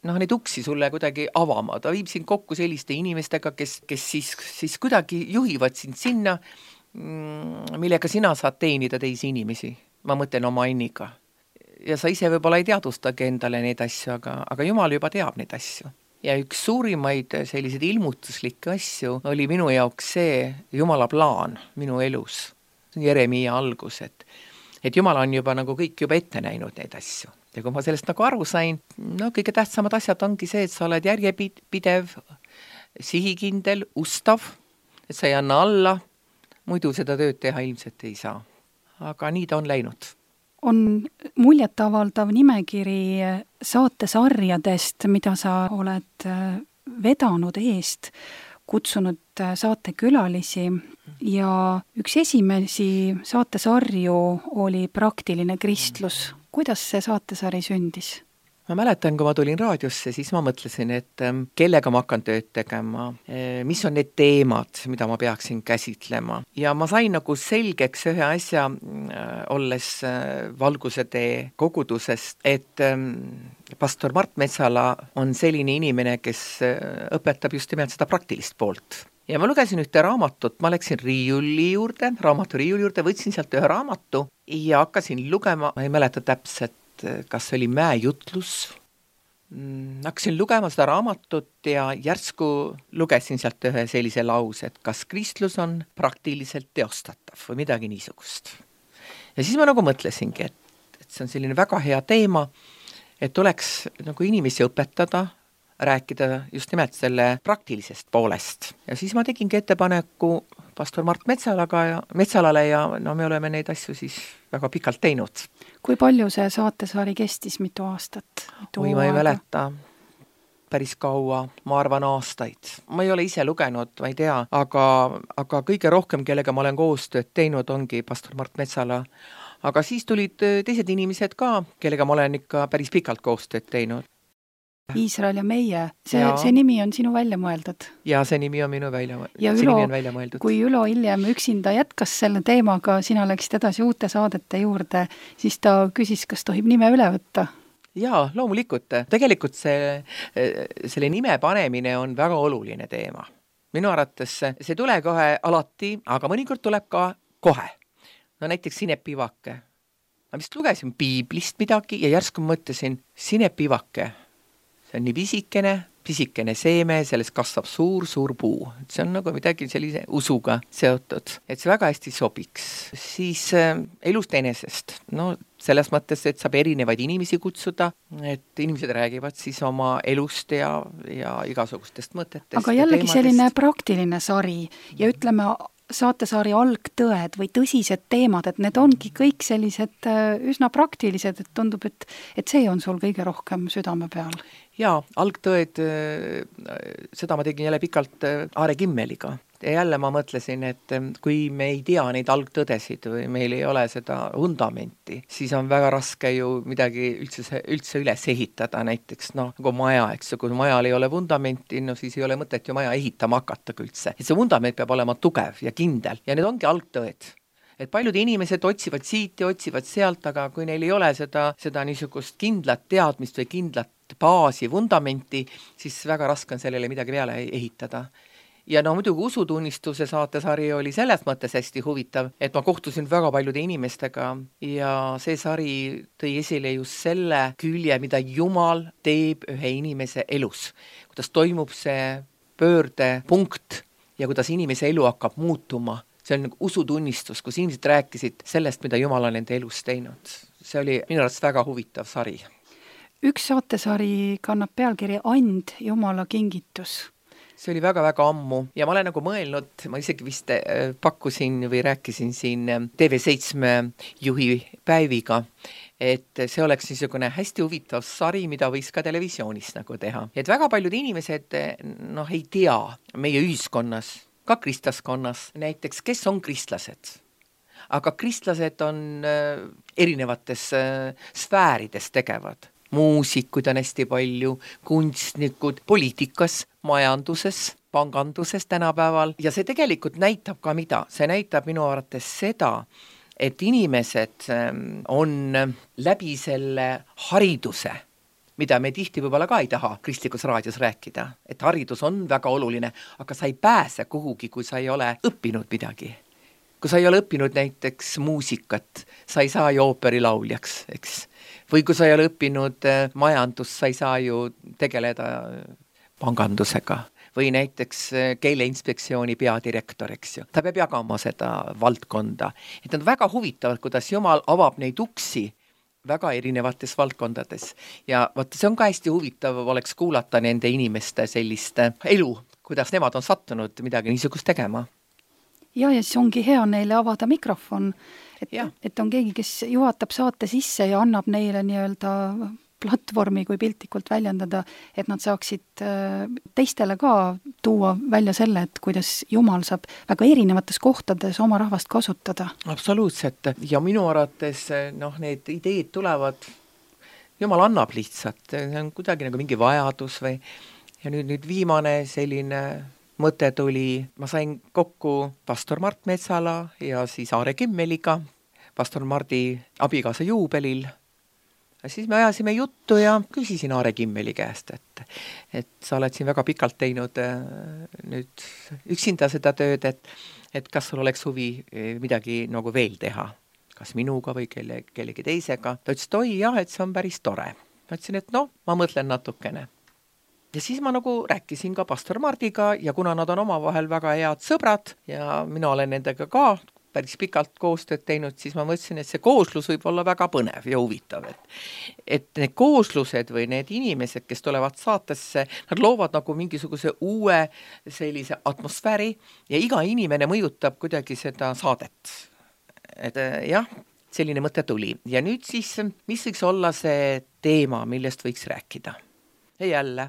noh, neid uksi sulle kuidagi avama. Ta viib sind kokku selliste inimestega, kes, kes siis, siis kuidagi juhivad sind sinna, millega sina saad teenida teisi inimesi. Ma mõtlen oma anniga. Ja sa ise võib-olla ei teadustagi endale neid asju, aga, aga Jumal juba teab neid asju. Ja üks suurimaid selliseid ilmutuslikke asju oli minu jaoks see Jumala plaan minu elus. Jeremia algus, et, et Jumal on juba nagu kõik juba ette näinud neid asju. Ja kui ma sellest nagu aru sain, no kõige tähtsamad asjad ongi see, et sa oled järjepidev, sihikindel, ustav, et sa ei anna alla, muidu seda tööd teha ilmselt ei saa. Aga nii ta on läinud. On muljetavaldav nimekiri saatesarjadest, mida sa oled vedanud eest, kutsunud saatekülalisi ja üks esimesi saatesarju oli Praktiline kristlus. Kuidas see saatesari sündis? Ma mäletan, kui ma tulin raadiosse, siis ma mõtlesin, et kellega ma hakkan tööd tegema, mis on need teemad, mida ma peaksin käsitlema. Ja ma sain nagu selgeks ühe asja, olles Valguse tee kogudusest, et pastor Mart Metsala on selline inimene, kes õpetab just nimelt seda praktilist poolt. Ja ma lugesin ühte raamatut, ma läksin riiuli juurde, raamatu riiuli juurde, võtsin sealt ühe raamatu ja hakkasin lugema, ma ei mäleta täpselt, kas oli mäejutlus. Hakkasin lugema seda raamatut ja järsku lugesin sealt ühe sellise lause, et kas kristlus on praktiliselt teostatav või midagi niisugust. Ja siis ma nagu mõtlesingi, et, et see on selline väga hea teema, et oleks nagu inimesi õpetada, rääkida just nimelt selle praktilisest poolest. Ja siis ma tegingi ettepaneku pastor Mart Metsalaga ja Metsalale ja no me oleme neid asju siis väga pikalt teinud. Kui palju see saatesari kestis, mitu aastat? Mitu Või ma ei mäleta, päris kaua, ma arvan aastaid. Ma ei ole ise lugenud, ma ei tea, aga, aga kõige rohkem, kellega ma olen koostööd teinud, ongi pastor Mart Metsala. Aga siis tulid teised inimesed ka, kellega ma olen ikka päris pikalt koostööd teinud. Iisrael ja meie, see, see nimi on sinu välja mõeldud. Ja see nimi on minu välja, ja see Ülo, nimi on välja mõeldud. Kui Ülo hiljem üksinda jätkas selle teemaga, sina läksid edasi uute saadete juurde, siis ta küsis, kas tohib nime üle võtta? Jaa, loomulikult. Tegelikult see, selle nime panemine on väga oluline teema. Minu arvates see tule kohe alati, aga mõnikord tuleb ka kohe. No näiteks sinepivake. Ma vist lugesin piiblist midagi ja järsku mõtlesin, sinepivake. See on nii pisikene, pisikene seeme, sellest kasvab suur, suur puu. See on nagu midagi sellise usuga seotud, et see väga hästi sobiks. Siis äh, elust enesest. No selles mõttes, et saab erinevaid inimesi kutsuda, et inimesed räägivad siis oma elust ja, ja igasugustest mõtetest. Aga jällegi selline praktiline sari ja ütleme saatesari algtõed või tõsised teemad, et need ongi kõik sellised üsna praktilised, et tundub, et, et see on sul kõige rohkem südame peal. Jaa, algtõed, seda ma tegin jälle pikalt Aare Kimmeliga. Ja jälle ma mõtlesin, et kui me ei tea neid algtõdesid või meil ei ole seda fundamenti, siis on väga raske ju midagi üldse, üldse üles ehitada, näiteks no, nagu maja, eks, kui majal ei ole fundamenti, no siis ei ole mõtet ju maja ehitama hakata üldse. Et see fundament peab olema tugev ja kindel ja need ongi algtõed. Et paljud inimesed otsivad siit ja otsivad sealt, aga kui neil ei ole seda, seda niisugust kindlat teadmist või kindlat baasi, fundamenti, siis väga raske on sellele midagi peale ehitada. Ja no muidugi usutunnistuse saatesari oli selles mõttes hästi huvitav, et ma kohtusin väga paljude inimestega ja see sari tõi esile just selle külje, mida Jumal teeb ühe inimese elus. Kuidas toimub see pöördepunkt ja kuidas inimese elu hakkab muutuma. See on nagu usutunnistus, kus inimesed rääkisid sellest, mida Jumal on nende elus teinud. See oli minu arvates väga huvitav sari. Üks saatesari kannab pealkiri And Jumala kingitus. see oli väga-väga ammu ja ma olen nagu mõelnud, ma isegi vist pakkusin või rääkisin siin T V seitsme juhi Päeviga, et see oleks niisugune hästi huvitav sari, mida võiks ka televisioonis nagu teha. Et väga paljud inimesed noh, ei tea meie ühiskonnas, ka kristlaskonnas näiteks, kes on kristlased. Aga kristlased on erinevates sfäärides tegevad. Muusikuid on hästi palju, kunstnikud, poliitikas, majanduses, panganduses tänapäeval. Ja see tegelikult näitab ka mida? See näitab minu arvates seda, et inimesed on läbi selle hariduse, mida me tihti võib-olla ka ei taha kristlikus raadios rääkida, et haridus on väga oluline, aga sa ei pääse kuhugi, kui sa ei ole õppinud midagi. Kui sa ei ole õppinud näiteks muusikat, sa ei saa ju ooperilauljaks, eks. Või kui sa ei ole õppinud majandus, sa ei saa ju tegeleda pangandusega. Või näiteks keeleinspektsiooni peadirektor, eks ju. Ta peab jagama seda valdkonda. Et nad väga huvitavad, kuidas Jumal avab neid uksi väga erinevates valdkondades. Ja vaata, see on ka hästi huvitav oleks kuulata nende inimeste sellist elu, kuidas nemad on sattunud midagi niisugust tegema. Ja, ja siis ongi hea neile avada mikrofon, et, et on keegi, kes juhatab saate sisse ja annab neile nii-öelda platvormi, kui piltlikult väljendada, et nad saaksid teistele ka tuua välja selle, et kuidas Jumal saab väga erinevates kohtades oma rahvast kasutada. Absoluutselt. Ja minu arvates noh, need ideed tulevad, Jumal annab lihtsalt, see on kuidagi nagu mingi vajadus või ja nüüd, nüüd viimane selline mõte tuli, ma sain kokku pastor Mart Metsala ja siis Aare Kimmeliga, pastor Mardi abikaasa juubelil. Ja siis me ajasime juttu ja küsisin Aare Kimmeli käest, et, et sa oled siin väga pikalt teinud nüüd üksinda seda tööd, et, et kas sul oleks huvi midagi nagu veel teha, kas minuga või kelle, kellegi teisega. Ta ütles, et oi jah, et see on päris tore. Ma ütlesin, et noh, ma mõtlen natukene. Ja siis ma nagu rääkisin ka pastor Mardiga ja kuna nad on omavahel väga head sõbrad ja mina olen nendega ka päris pikalt koostööd teinud, siis ma mõtlesin, et see kooslus võib olla väga põnev ja huvitav. Et, et need kooslused või need inimesed, kes tulevad saatesse, nad loovad nagu mingisuguse uue sellise atmosfääri ja iga inimene mõjutab kuidagi seda saadet. Et jah, selline mõte tuli. Ja nüüd siis, mis võiks olla see teema, millest võiks rääkida? Ja jälle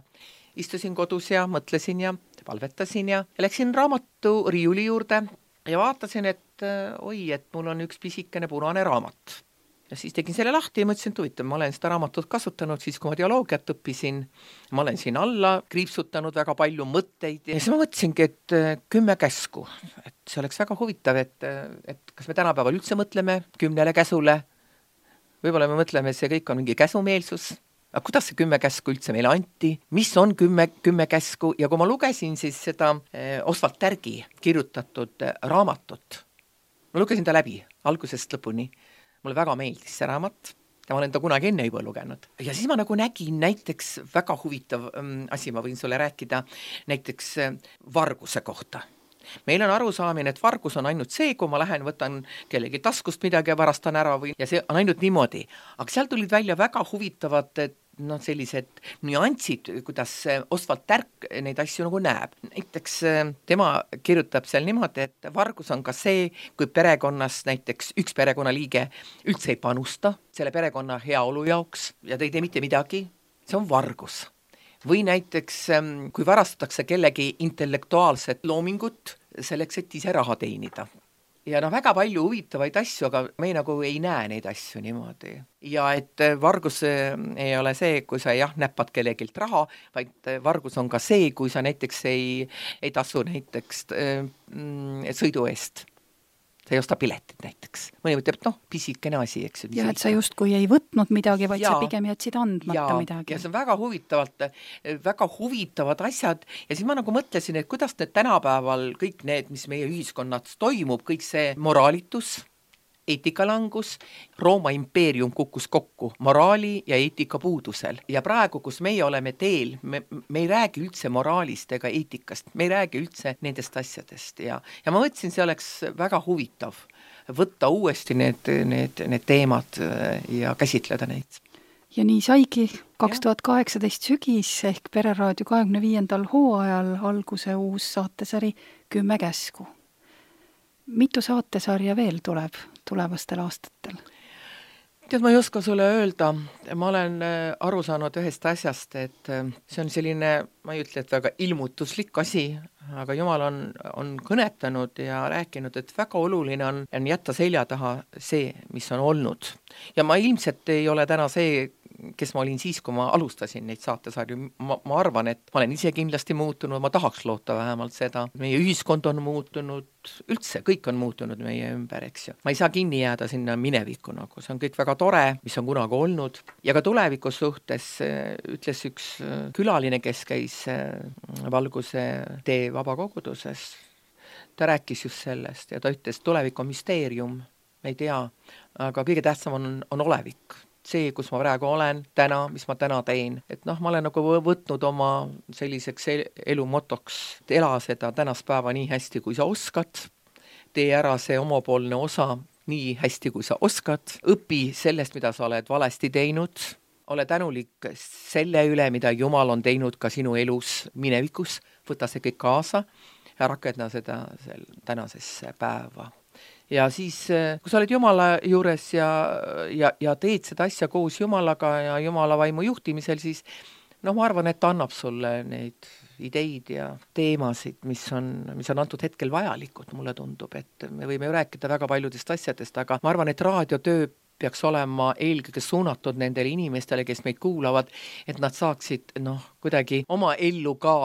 istusin kodus ja mõtlesin ja palvetasin ja läksin raamatu riiuli juurde ja vaatasin, et oi, et mul on üks pisikene punane raamat. Ja siis tegin selle lahti ja mõtlesin, et huvitav, ma olen seda raamatut kasutanud siis, kui ma teoloogiat õppisin. Ma olen siin alla kriipsutanud väga palju mõtteid ja siis ma mõtlesingi, et kümme käsku. Et see oleks väga huvitav, et, et kas me tänapäeval üldse mõtleme kümnele käsule. Võib-olla me mõtleme, et see kõik on mingi käsumeelsus. Aga kuidas see kümme käsku üldse meile anti? Mis on kümme, kümme käsku? Ja kui ma lugesin siis seda Oswald Tärgi kirjutatud raamatut, ma lugesin ta läbi algusest lõpuni. Mulle väga meeldis see raamat ja ma olen ta kunagi enne juba lugenud. Ja siis ma nagu nägin näiteks väga huvitav asi, ma võin sulle rääkida näiteks varguse kohta. Meil on arusaamine, et vargus on ainult see, kui ma lähen, võtan kellegi taskust midagi ja varastan ära või, ja see on ainult niimoodi. Aga seal tulid välja väga huvitavad no, sellised nüansid, kuidas Oswald Tärk neid asju nagu näeb. Näiteks tema kirjutab seal niimoodi, et vargus on ka see, kui perekonnas näiteks üks perekonnaliige üldse ei panusta selle perekonna heaolu jaoks ja ta ei tee mitte midagi, see on vargus. Või näiteks, kui varastatakse kellegi intellektuaalset loomingut selleks, et ise raha teenida. Ja no väga palju huvitavaid asju, aga me nagu ei näe neid asju niimoodi. Ja et vargus ei ole see, kui sa jah näppad kellegilt raha, vaid vargus on ka see, kui sa näiteks ei, ei tasu näiteks mm, sõidu eest. Sa ei osta piletit näiteks. Mõni mõtleb, et noh, pisikene asi, eks. Ja, et sa justkui ei võtnud midagi, vaid ja, sa pigem jätsid andmata ja, midagi. Ja see on väga huvitavalt, väga huvitavad asjad ja siis ma nagu mõtlesin, et kuidas need tänapäeval kõik need, mis meie ühiskonnas toimub, kõik see moraalitus, eetikalangus, Rooma impeerium kukkus kokku moraali ja eetika puudusel. Ja praegu, kus meie oleme teel, me, me ei räägi üldse moraalist ega eetikast, me ei räägi üldse nendest asjadest. Ja, ja ma mõtlesin, see oleks väga huvitav võtta uuesti need, need, need teemad ja käsitleda neid. ja nii saigi kaks tuhat kaheksateist sügis ehk Pereraadio kahekümne viiendal hooajal alguse uus saatesari Kümme käsku. Mitu saatesarja veel tuleb tulevastel aastatel? Tead, ma ei oska sulle öelda, ma olen aru saanud ühest asjast, et see on selline, ma ei ütle, et väga ilmutuslik asi, aga Jumal on, on kõnetanud ja rääkinud, et väga oluline on, on jätta selja taha see, mis on olnud. Ja ma ilmselt ei ole täna see, kes ma olin siis, kui ma alustasin neid saatesarju. Ma, ma arvan, et ma olen ise kindlasti muutunud, ma tahaks loota vähemalt seda. Meie ühiskond on muutunud, üldse kõik on muutunud meie ümber, eks ju. Ma ei saa kinni jääda sinna minevikku, nagu see on kõik väga tore, mis on kunagi olnud. Ja ka tulevikus suhtes ütles üks külaline, kes käis Valguse tee vabakoguduses. Ta rääkis just sellest ja ta ütles, tulevik on müsteerium, me ei tea, aga kõige tähtsam on, on olevik. See, kus ma praegu olen, täna, mis ma täna teen. Et noh, ma olen nagu võtnud oma selliseks elu motoks, et ela seda tänast päeva nii hästi, kui sa oskad. Tee ära see omapoolne osa nii hästi, kui sa oskad. Õpi sellest, mida sa oled valesti teinud. Ole tänulik selle üle, mida Jumal on teinud ka sinu elus minevikus. Võta see kõik kaasa ja rakendna seda tänasesse päeva. Ja siis, kui sa oled Jumala juures ja, ja, ja teed seda asja koos Jumalaga ja Jumala vaimu juhtimisel, siis no ma arvan, et ta annab sulle neid ideid ja teemasid, mis on, mis on antud hetkel vajalikud, mulle tundub, et me võime ju rääkida väga paljudest asjadest, aga ma arvan, et raadiotöö peaks olema eelkõige suunatud nendele inimestele, kes meid kuulavad, et nad saaksid noh, kuidagi oma ellu ka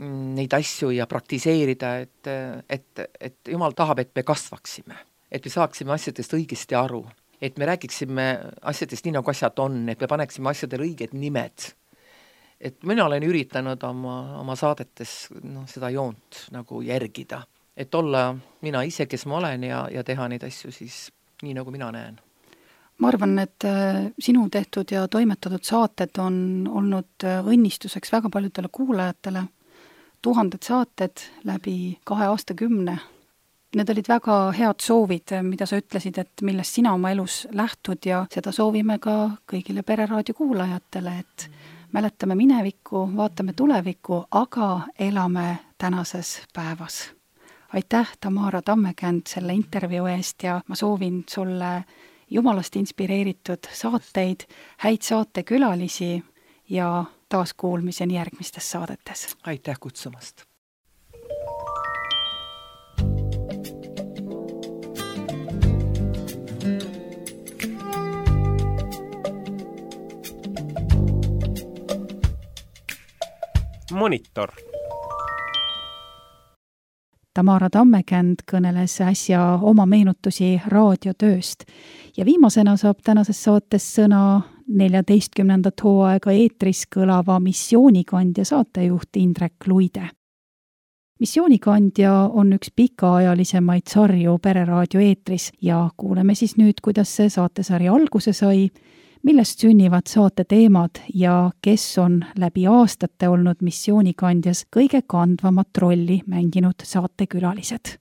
neid asju ja praktiseerida, et, et, et Jumal tahab, et me kasvaksime, et me saaksime asjadest õigesti aru, et me räägiksime asjadest nii, nagu asjad on, et me paneksime asjadele õiged nimed. Et mina olen üritanud oma, oma saadetes no, seda joont nagu järgida, et olla mina ise, kes ma olen ja, ja teha neid asju siis nii, nagu mina näen. Ma arvan, et sinu tehtud ja toimetatud saated on olnud õnnistuseks väga paljudele kuulajatele. Tuhanded saated läbi kahe aastakümne. Need olid väga head soovid, mida sa ütlesid, et millest sina oma elus lähtud ja seda soovime ka kõigile Pereraadio kuulajatele, et mäletame minevikku, vaatame tulevikku, aga elame tänases päevas. Aitäh, Tamara Tammekänd, selle intervjuu eest ja ma soovin sulle Jumalast inspireeritud saateid, häid saatekülalisi ja taas kuulmiseni järgmistes saadetes. Aitäh kutsumast! Monitor. Tamara Tammekänd kõneles äsja oma meenutusi raadiotööst ja viimasena saab tänases saates sõna neljateistkümnendat hooaega eetris kõlava missioonikandja saatejuht Indrek Luide. Missioonikandja on üks pikaajalisemaid sarju Pereraadio eetris ja kuuleme siis nüüd, kuidas see saatesari alguse sai, millest sünnivad saate teemad ja kes on läbi aastate olnud missioonikandjas kõige kandvamat rolli mänginud saatekülalised.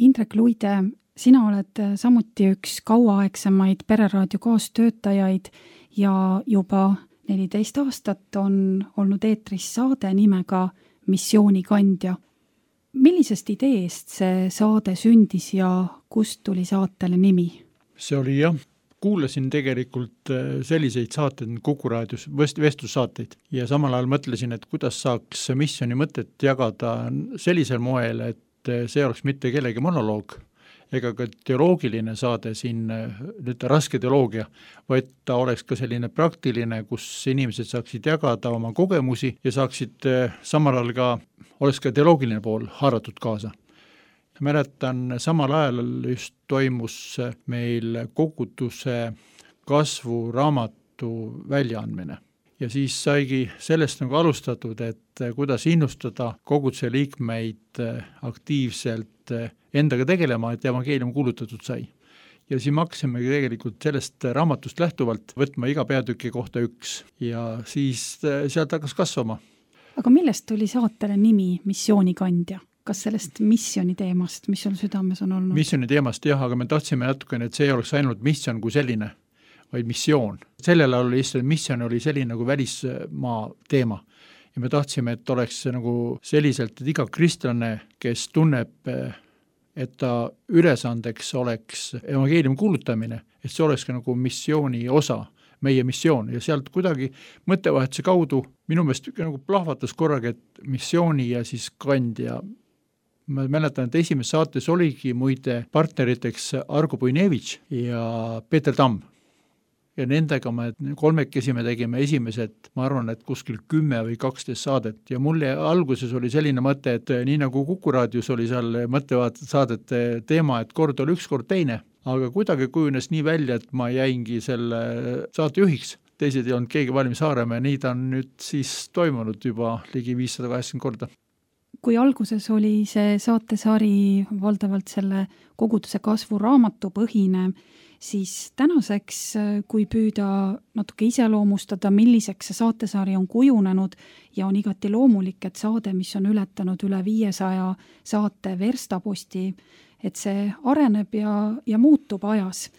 Indrek Luide, sina oled samuti üks kauaaegsemaid Pereraadio kaastöötajaid ja juba neliteist aastat on olnud eetris saade nimega Missioonikandja. Millisest ideest see saade sündis ja kust tuli saatele nimi? See oli jah, kuulasin tegelikult selliseid saateid Kuku raadios, vestlussaateid ja samal ajal mõtlesin, et kuidas saaks missiooni mõtet jagada sellisel moel, et see oleks mitte kellegi monoloog ega ka teoloogiline saade siin, nüüd raske teoloogia, vaid ta oleks ka selline praktiline, kus inimesed saaksid jagada oma kogemusi ja saaksid samal ajal ka, oleks ka teoloogiline pool haaratud kaasa. Mäletan, samal ajal just toimus meil koguduse kasvuraamatu väljaandmine. Ja siis saigi sellest nagu alustatud, et kuidas innustada koguduse liikmeid aktiivselt endaga tegelema, et evangeelium kuulutatud sai. Ja siis me hakkasime tegelikult sellest raamatust lähtuvalt võtma iga peatüki kohta üks ja siis sealt hakkas kasvama. Aga millest tuli saatele nimi Missioonikandja? Kas sellest missiooni teemast, mis sul südames on olnud? Missiooni teemast jah, aga me tahtsime natukene, et see ei oleks ainult missioon kui selline, vaid missioon. Sellel ajal oli lihtsalt missioon oli selline nagu välismaa teema. Ja me tahtsime, et oleks nagu selliselt, et iga kristlane, kes tunneb, et ta ülesandeks oleks evangeeliumi kuulutamine, et see oleks ka nagu missiooni osa, meie missioon. Ja sealt kuidagi mõttevahetuse kaudu minu meelest nagu plahvatas korraga, et missiooni ja siis kandja. Ma mäletan, et esimeses saates oligi muide partneriteks Argo Puinevitš ja Peeter Tamm. Ja nendega me kolmekesi me tegime esimesed, ma arvan, et kuskil kümme või kaksteist saadet. Ja mulle alguses oli selline mõte, et nii nagu Kuku raadios oli seal mõttevaatad saadete teema, et kord oli üks, kord teine. Aga kuidagi kujunes nii välja, et ma jäingi selle saate juhiks. Teised ei olnud keegi valmis haarama ja nii ta on nüüd siis toimunud juba ligi viissada kaheksakümmend korda. Kui alguses oli see saatesari valdavalt selle koguduse kasvu raamatu põhine, siis tänaseks, kui püüda natuke iseloomustada, milliseks see saatesari on kujunenud ja on igati loomulik, et saade, mis on ületanud üle viiesaja saate verstaposti, et see areneb ja, ja muutub ajas.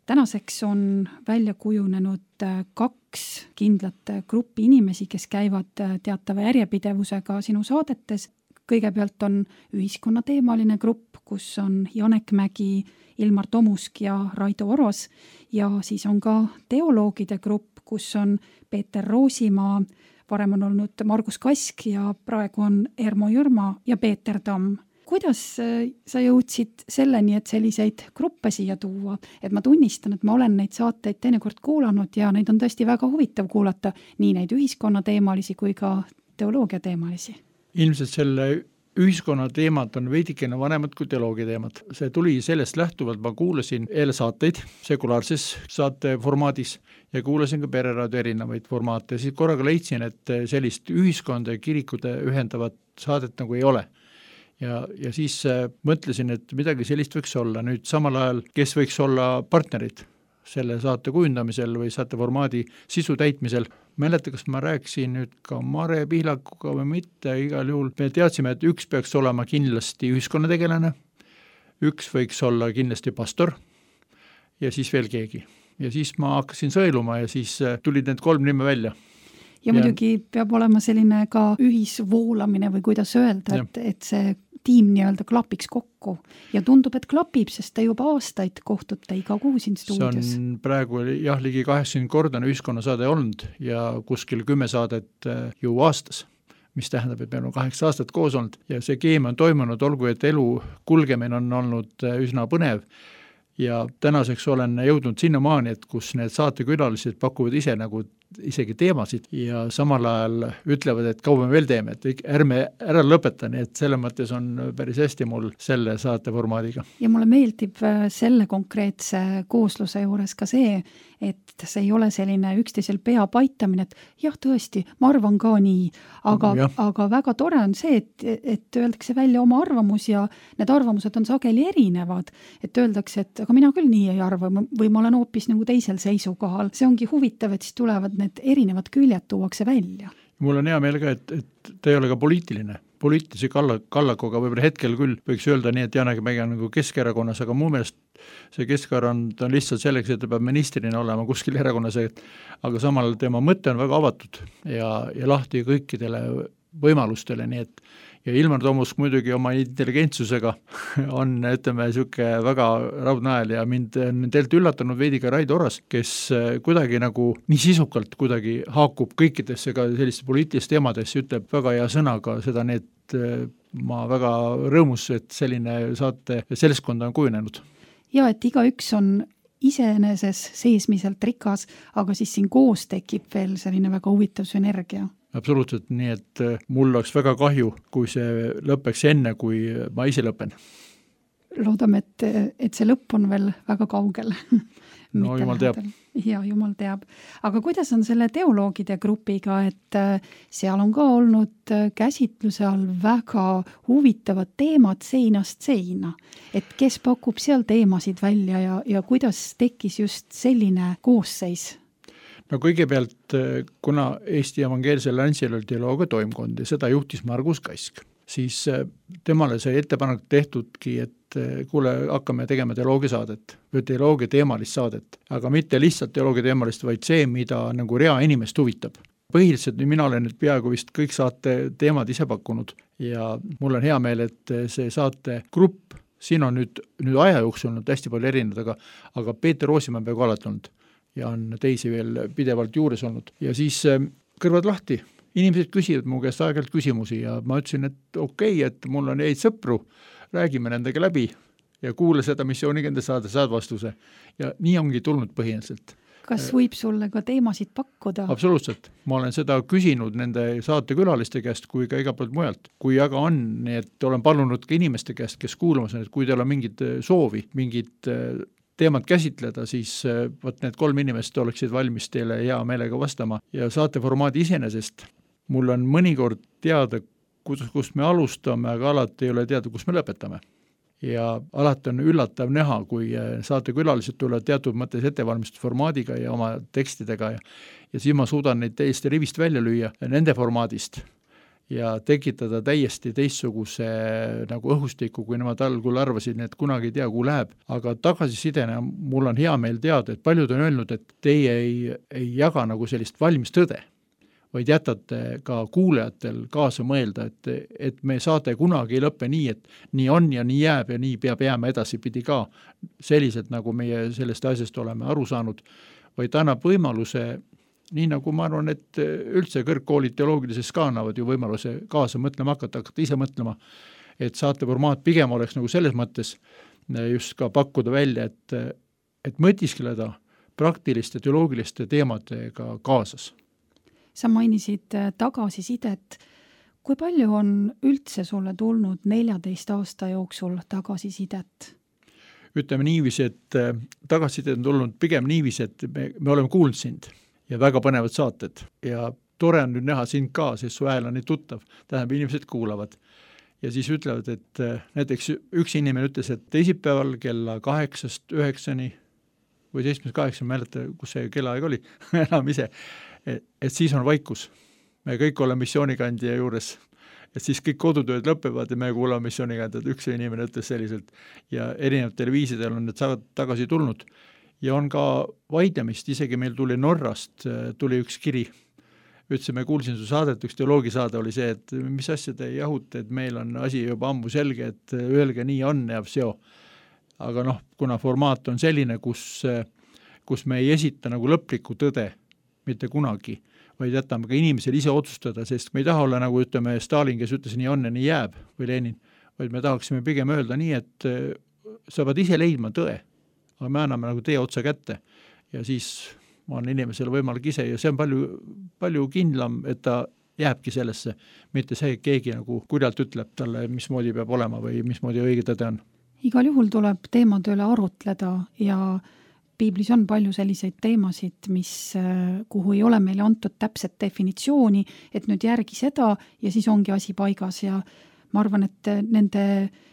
Tänaseks on välja kujunenud kaks kindlat gruppi inimesi, kes käivad teatava järjepidevusega sinu saadetes. Kõigepealt on ühiskonnateemaline grupp, kus on Janek Mägi, Ilmar Tomusk ja Raido Oros ja siis on ka teoloogide grupp, kus on Peeter Roosimaa, varem on olnud Margus Kask ja praegu on Ermo Jürma ja Peeter Tamm. Kuidas sa jõudsid selleni, et selliseid gruppe siia tuua? Et ma tunnistan, et ma olen neid saateid teinekord kuulanud ja neid on tõesti väga huvitav kuulata, nii neid ühiskonnateemalisi kui ka teoloogiateemalisi. Ilmselt selle ühiskonna teemad on veidikene vanemad kui teoloogia teemad. See tuli sellest lähtuvalt, ma kuulasin eelsaateid sekulaarses saate formaadis ja kuulasin ka pereraadio erinevaid formaate. Siis korraga leidsin, et sellist ühiskonda ja kirikute ühendavat saadet nagu ei ole. Ja, ja siis mõtlesin, et midagi sellist võiks olla. Nüüd samal ajal, kes võiks olla partnerid selle saate kujundamisel või saate formaadi sisu täitmisel. Mäleta, kas ma rääkisin nüüd ka Mare Pihlakuga või mitte, igal juhul. Me teadsime, et üks peaks olema kindlasti ühiskonnategelane, üks võiks olla kindlasti pastor ja siis veel keegi. Ja siis ma hakkasin sõeluma ja siis tulid need kolm nime välja. Ja muidugi peab olema selline ka ühisvoolamine või kuidas öelda, et, et see tiim nii-öelda klapiks kokku ja tundub, et klapib, sest te juba aastaid kohtute iga kuu siin stuudios. See on praegu jah, ligi kaheksakümmend korda ühiskonnasaade olnud ja kuskil kümme saadet ju aastas, mis tähendab, et meil on kaheksa aastat koos olnud ja see keemia on toimunud, olgu, et elu kulgemine on olnud üsna põnev ja tänaseks olen jõudnud sinnamaani, et kus need saatekülalised pakuvad ise nagu isegi teemasid ja samal ajal ütlevad, et kaua me veel teeme, et ärme ära lõpeta, nii et selle mõttes on päris hästi mul selle saate formaadiga. Ja mulle meeldib selle konkreetse koosluse juures ka see, et see ei ole selline üksteisel pea paitamine, et jah, tõesti, ma arvan ka nii, aga, aga väga tore on see, et, et öeldakse välja oma arvamus ja need arvamused on sageli erinevad, et öeldakse, et aga mina küll nii ei arva või ma olen hoopis nagu teisel seisukohal. See ongi huvitav, et siis tulevad need erinevad küljed tuuakse välja. Mul on hea meel ka, et, et ta ei ole ka poliitiline. Poliitilise kalla, kallakoga võib-olla hetkel küll võiks öelda nii, et Janek Mägi on nagu Keskerakonnas, aga mu meelest see Keskerakond on lihtsalt selleks, et ta peab ministrina olema kuskil erakonnas, aga samal tema mõte on väga avatud ja, ja lahti kõikidele võimalustele, nii et ja Ilmar Tomusk muidugi oma intelligentsusega on, ütleme, siuke väga raudnael ja mind on teilt üllatanud veidi ka Raido Oras, kes kuidagi nagu nii sisukalt kuidagi haakub kõikidesse ka selliste poliitiliste teemadesse, ütleb väga hea sõnaga seda, need ma väga rõõmus, et selline saate seltskond on kujunenud. Ja, et iga üks on iseeneses seesmiselt rikas, aga siis siin koos tekib veel selline väga huvitav sünergia. Absoluutselt, nii et mul oleks väga kahju, kui see lõpeks enne, kui ma ise lõpen. Loodame, et, et see lõpp on veel väga kaugel. No jumal teab. Ja, jumal teab. Aga kuidas on selle teoloogide grupiga, et seal on ka olnud käsitluse all väga huvitavad teemad seinast seina. Et kes pakub seal teemasid välja ja, ja kuidas tekkis just selline koosseis? No kõigepealt, kuna Eesti evangeelsel Lantsil oli teoloogia toimkond ja seda juhtis Margus Kask. siis temale see ettepanek tehtudki, et kuule, hakkame tegema teoloogiasaadet või teoloogia teemalist saadet, aga mitte lihtsalt teoloogia teemalist, vaid see, mida nagu rea inimest huvitab. Põhiliselt mina olen nüüd peaaegu vist kõik saate teemad ise pakkunud ja mul on hea meel, et see saate grupp, siin on nüüd, nüüd aja jooksul olnud hästi palju erinevad, aga, aga Peeter Roosimaa on peaaegu alati olnud ja on teisi veel pidevalt juures olnud. Ja siis kõrvad lahti, inimesed küsivad mu käest aeg-ajalt küsimusi ja ma ütlesin, et okei, okay, et mul on häid sõpru, räägime nendega läbi ja kuule seda missioonigende saada, saad vastuse. Ja nii ongi tulnud põhimõtteliselt. Kas võib sulle ka teemasid pakkuda? Absoluutselt. Ma olen seda küsinud nende saatekülaliste käest kui ka iga poolt mujalt. Kui aga on, nii et olen palunud ka inimeste käest, kes kuulamas on, et kui teil on mingid soovi, mingid teemad käsitleda, siis võt need kolm inimest oleksid valmis teile hea meelega vastama. Ja saateformaadi iseenesest mul on mõnikord teada, kus, kus me alustame, aga alati ei ole teada, kus me lõpetame. Ja alati on üllatav näha, kui saatekülalised tulevad teatud mõttes ettevalmistusformaadiga ja oma tekstidega ja, ja siis ma suudan neid täiesti rivist välja lüüa nende formaadist ja tekitada täiesti teistsuguse nagu õhustiku, kui nemad algul arvasid, et kunagi ei tea, kuhu läheb. Aga tagasisidena mul on hea meel teada, et paljud on öelnud, et teie ei, ei jaga nagu sellist valmis tõde, vaid jätate ka kuulajatel kaasa mõelda, et, et me saate kunagi ei lõppe nii, et nii on ja nii jääb ja nii peab jääma edasipidi ka selliselt, nagu meie sellest asjast oleme aru saanud, vaid annab võimaluse, nii nagu ma arvan, et üldse kõrgkoolid teoloogilises ka annavad ju võimaluse kaasa mõtlema hakata, hakata ise mõtlema, et saateformaat pigem oleks nagu selles mõttes just ka pakkuda välja, et, et mõtiskeleda praktiliste teoloogiliste teemadega kaasas. Sa mainisid tagasisidet. Kui palju on üldse sulle tulnud neljateist aasta jooksul tagasisidet? Ütleme niiviisi, et tagasisidet on tulnud pigem niiviisi, et me, me oleme kuulnud sind ja väga põnevad saated. Ja tore on nüüd näha sind ka, sest su hääl on nii tuttav. Tähendab, inimesed kuulavad. Ja siis ütlevad, et näiteks üks inimene ütles, et teisipäeval kella kaheksast üheksani või seitsmest kaheksa, mäleta, kus see kellaaeg oli, enam ise, et, et siis on vaikus. Me kõik oleme missioonikandja juures, et siis kõik kodutööd lõpevad ja me kuulame missioonikandjad, üks inimene ütles selliselt ja erinevad televiisidel on need saavad tagasi tulnud ja on ka vaidlemist, isegi meil tuli Norrast, tuli üks kiri, ütlesime, kuulsin su saadet, üks teoloogisaade oli see, et mis asja te jahute, et meil on asi juba ammu selge, et öelge nii on ja seo. Aga noh, kuna formaat on selline, kus, kus me ei esita nagu lõplikku tõde, mitte kunagi, vaid jätame ka inimesel ise otsustada, sest me ei taha olla nagu ütleme Stalin, kes ütles nii on ja nii jääb või Lenin, vaid me tahaksime pigem öelda nii, et sa pead ise leidma tõe, aga me anname nagu tee otsa kätte ja siis on inimesel võimalik ise ja see on palju, palju kindlam, et ta jääbki sellesse, mitte see, et keegi nagu kurjalt ütleb talle, mismoodi peab olema või mismoodi õige tõde on. Igal juhul tuleb teemade üle arutleda ja piiblis on palju selliseid teemasid, mis, kuhu ei ole meile antud täpset definitsiooni, et nüüd järgi seda ja siis ongi asi paigas ja ma arvan, et nende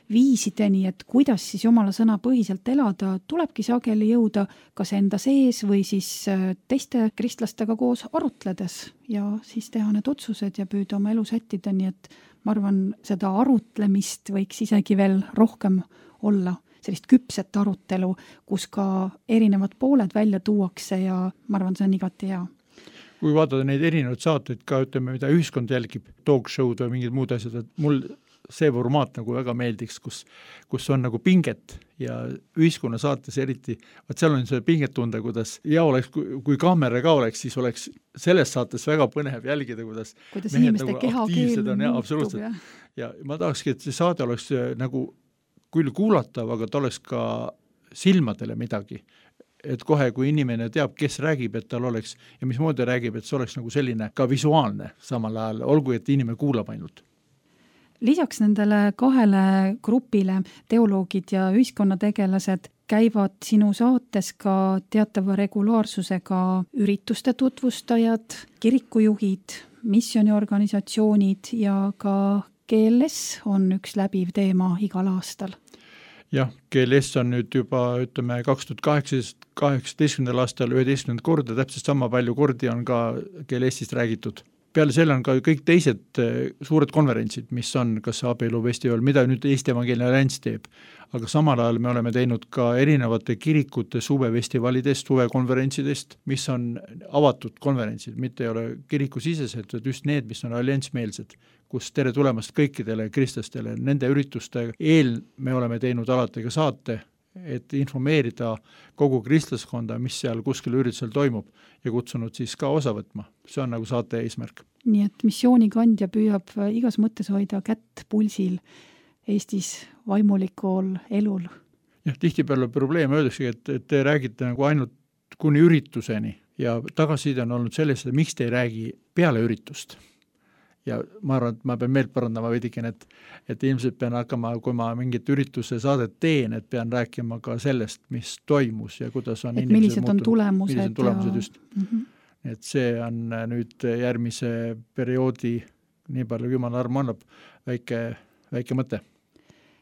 viisideni, et kuidas siis Jumala sõna põhiselt elada, tulebki sageli jõuda kas enda sees või siis teiste kristlastega koos arutledes ja siis teha need otsused ja püüda oma elu sättida, nii et ma arvan, seda arutlemist võiks isegi veel rohkem olla, sellist küpset arutelu, kus ka erinevad pooled välja tuuakse ja ma arvan, see on igati hea. Kui vaadata neid erinevaid saateid ka, ütleme, mida ühiskond jälgib, talk show'd või mingid muud asjad, et mul see formaat nagu väga meeldiks, kus, kus on nagu pinget ja ühiskonna saates eriti, vaat seal on see pinget tunda, kuidas ja oleks, kui, kui kaamera ka oleks, siis oleks selles saates väga põnev jälgida, kuidas, kuidas inimeste nagu kehakeel on, ja, absoluutselt. Ja ma tahakski, et see saade oleks nagu küll kuulatav, aga ta oleks ka silmadele midagi. Et kohe, kui inimene teab, kes räägib, et tal oleks ja mismoodi räägib, et see oleks nagu selline ka visuaalne samal ajal, olgu, et inimene kuulab ainult. Lisaks nendele kahele grupile, teoloogid ja ühiskonnategelased, käivad sinu saates ka teatava regulaarsusega ürituste tutvustajad, kirikujuhid, missioniorganisatsioonid ja ka G L S on üks läbiv teema igal aastal. Jah, G L S on nüüd juba, ütleme, kaks tuhat kaheksateistkümnendal aastal üheteistkümnendat korda, täpselt sama palju kordi on ka G L S-ist räägitud. peale selle on ka kõik teised suured konverentsid, mis on kas abielufestival, mida nüüd Eesti Evangeelne Allianss teeb, aga samal ajal me oleme teinud ka erinevate kirikute suvefestivalidest, suvekonverentsidest, mis on avatud konverentsid, mitte ei ole kirikusisesed, vaid just need, mis on alliansmeelsed, kus tere tulemast kõikidele kristlastele. Nende ürituste eel me oleme teinud alati ka saate, et informeerida kogu kristlaskonda, mis seal kuskil üritusel toimub ja kutsunud siis ka osa võtma. See on nagu saate eesmärk. Nii et missioonikandja püüab igas mõttes hoida kätt pulsil Eestis vaimulikul elul. Jah, tihtipeale probleem öeldakse, et, et te räägite nagu ainult kuni ürituseni ja tagasiside on olnud sellest, et miks te ei räägi peale üritust. Ja ma arvan, et ma pean meelt parandama veidikene, et, et ilmselt pean hakkama, kui ma mingit ürituse saadet teen, et pean rääkima ka sellest, mis toimus ja kuidas on et millised on tulemused. Millised on tulemused ja... just. Mm-hmm. Et see on nüüd järgmise perioodi, nii palju kui jumal arm annab, väike, väike mõte.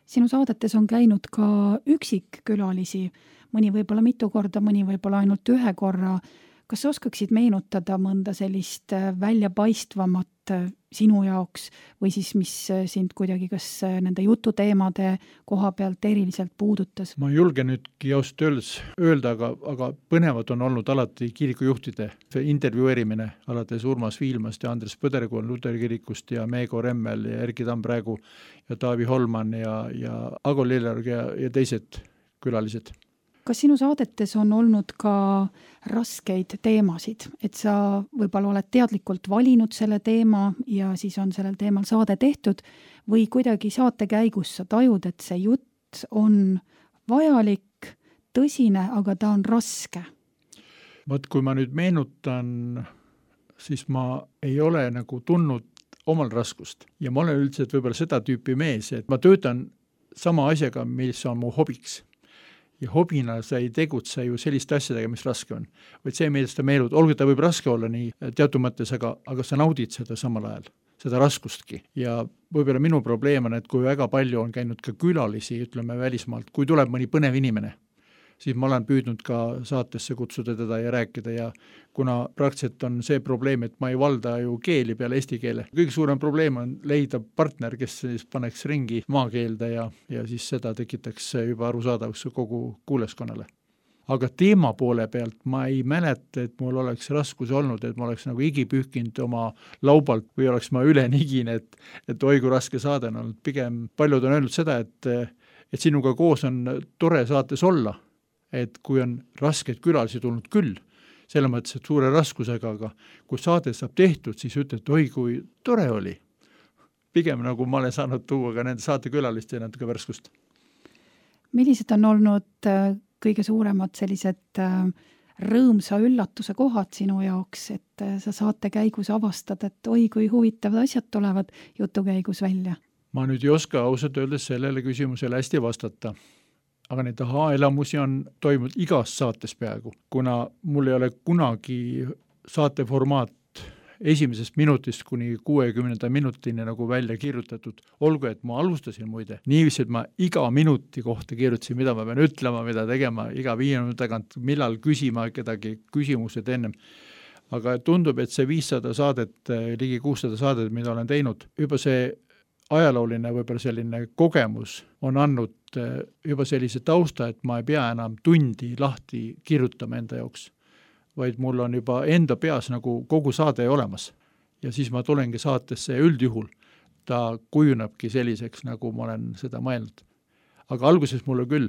Sinu saadetes on käinud ka üksikkülalisi, mõni võib-olla mitu korda, mõni võib-olla ainult ühe korra. Kas sa oskaksid meenutada mõnda sellist väljapaistvamat sinu jaoks või siis mis sind kuidagi kas nende jututeemade koha pealt eriliselt puudutas? Ma julgen nüüdki ausalt öeldes öelda, aga, aga põnevad on olnud alati kirikujuhtide intervjueerimine, alates Urmas Viilmast ja Andres Põderkool Luteri kirikust ja Meego Remmel ja Erki Tampraegu ja Taavi Holman ja, ja Ago Lillerg ja, ja teised külalised. Kas sinu saadetes on olnud ka raskeid teemasid, et sa võib-olla oled teadlikult valinud selle teema ja siis on sellel teemal saade tehtud või kuidagi saate käigus sa tajud, et see jutt on vajalik, tõsine, aga ta on raske? Vaat kui ma nüüd meenutan, siis ma ei ole nagu tundnud omal raskust ja ma olen üldiselt võib-olla seda tüüpi mees, et ma töötan sama asjaga, mis on mu hobiks. Ja hobina sa ei tegutse ju selliste asjadega, mis raske on. Vaid see, millest ta meelud, olgu ta võib raske olla nii teatud mõttes, aga, aga sa naudid seda samal ajal, seda raskustki. Ja võib-olla minu probleem on, et kui väga palju on käinud ka külalisi, ütleme välismaalt, kui tuleb mõni põnev inimene, siis ma olen püüdnud ka saatesse kutsuda teda ja rääkida ja kuna praktiliselt on see probleem, et ma ei valda ju keeli peale eesti keele. Kõige suurem probleem on leida partner, kes siis paneks ringi maakeelde ja, ja siis seda tekitaks juba arusaadavaks kogu kuuleskonnale. Aga teema poole pealt ma ei mäleta, et mul oleks raskus olnud, et ma oleks nagu igi pühkinud oma laubalt või oleks ma üle nigin, et, et oi kui raske saade on olnud. Pigem paljud on öelnud seda, et, et sinuga koos on tore saates olla. Et kui on raskeid külalisi tulnud küll, selle mõttes, et suure raskusega, aga kui saade saab tehtud, siis ütled, oi kui tore oli. Pigem nagu ma olen saanud tuua ka nende saate külaliste ja natuke värskust. Millised on olnud kõige suuremad sellised rõõmsa üllatuse kohad sinu jaoks, et sa saate käigus avastad, et oi kui huvitavad asjad tulevad jutu käigus välja? Ma nüüd ei oska ausalt öeldes sellele küsimusele hästi vastata. Aga neid aha-elamusi on toimunud igas saates peaaegu, kuna mul ei ole kunagi saateformaat esimesest minutist kuni kuuekümnenda minutini nagu välja kirjutatud. Olgu, et ma alustasin muide. Niiviisi, et ma iga minuti kohta kirjutasin, mida ma pean ütlema, mida tegema, iga viie minuti tagant, millal küsima kedagi küsimused ennem. Aga tundub, et see viissada saadet, ligi kuussada saadet, mida olen teinud, juba see ajalooline võib-olla selline kogemus on andnud juba sellise tausta, et ma ei pea enam tundi lahti kirjutama enda jaoks, vaid mul on juba enda peas nagu kogu saade olemas. Ja siis ma tulengi saatesse ja üldjuhul ta kujunebki selliseks, nagu ma olen seda mõelnud. Aga alguses mulle küll,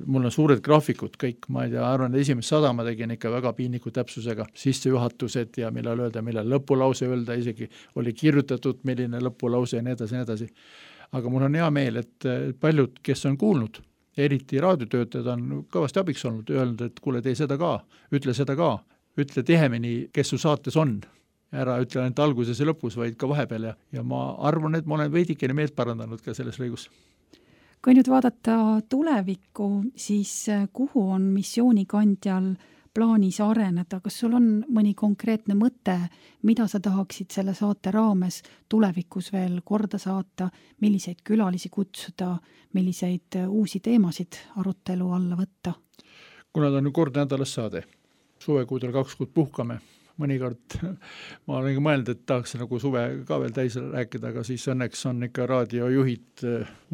mul on suured graafikud kõik, ma ei tea, arvan, esimest sada ma tegin ikka väga piiniku täpsusega, sissejuhatused ja millal öelda, millal lõpulause öelda, isegi oli kirjutatud, milline lõpulause ja nii edasi, nii edasi. Aga mul on hea meel, et paljud, kes on kuulnud, eriti raadiotöötajad on kõvasti abiks olnud, öelnud, et kuule, tee seda ka, ütle seda ka, ütle tihemini, kes su saates on. Ära ütle ainult alguses ja lõpus, vaid ka vahepeal ja, ja ma arvan, et ma olen veidikene meelt parandanud ka selles lõigus. Kui nüüd vaadata tulevikku, siis kuhu on missioonikandjal plaanis areneda? Kas sul on mõni konkreetne mõte, mida sa tahaksid selle saate raames tulevikus veel korda saata, milliseid külalisi kutsuda, milliseid uusi teemasid arutelu alla võtta? Kuna ta on kord nädalas saade, suvekuudel kaks kuud puhkame, mõnikord ma olen mõelnud, et tahaks nagu suve ka veel täis rääkida, aga siis õnneks on ikka raadiojuhid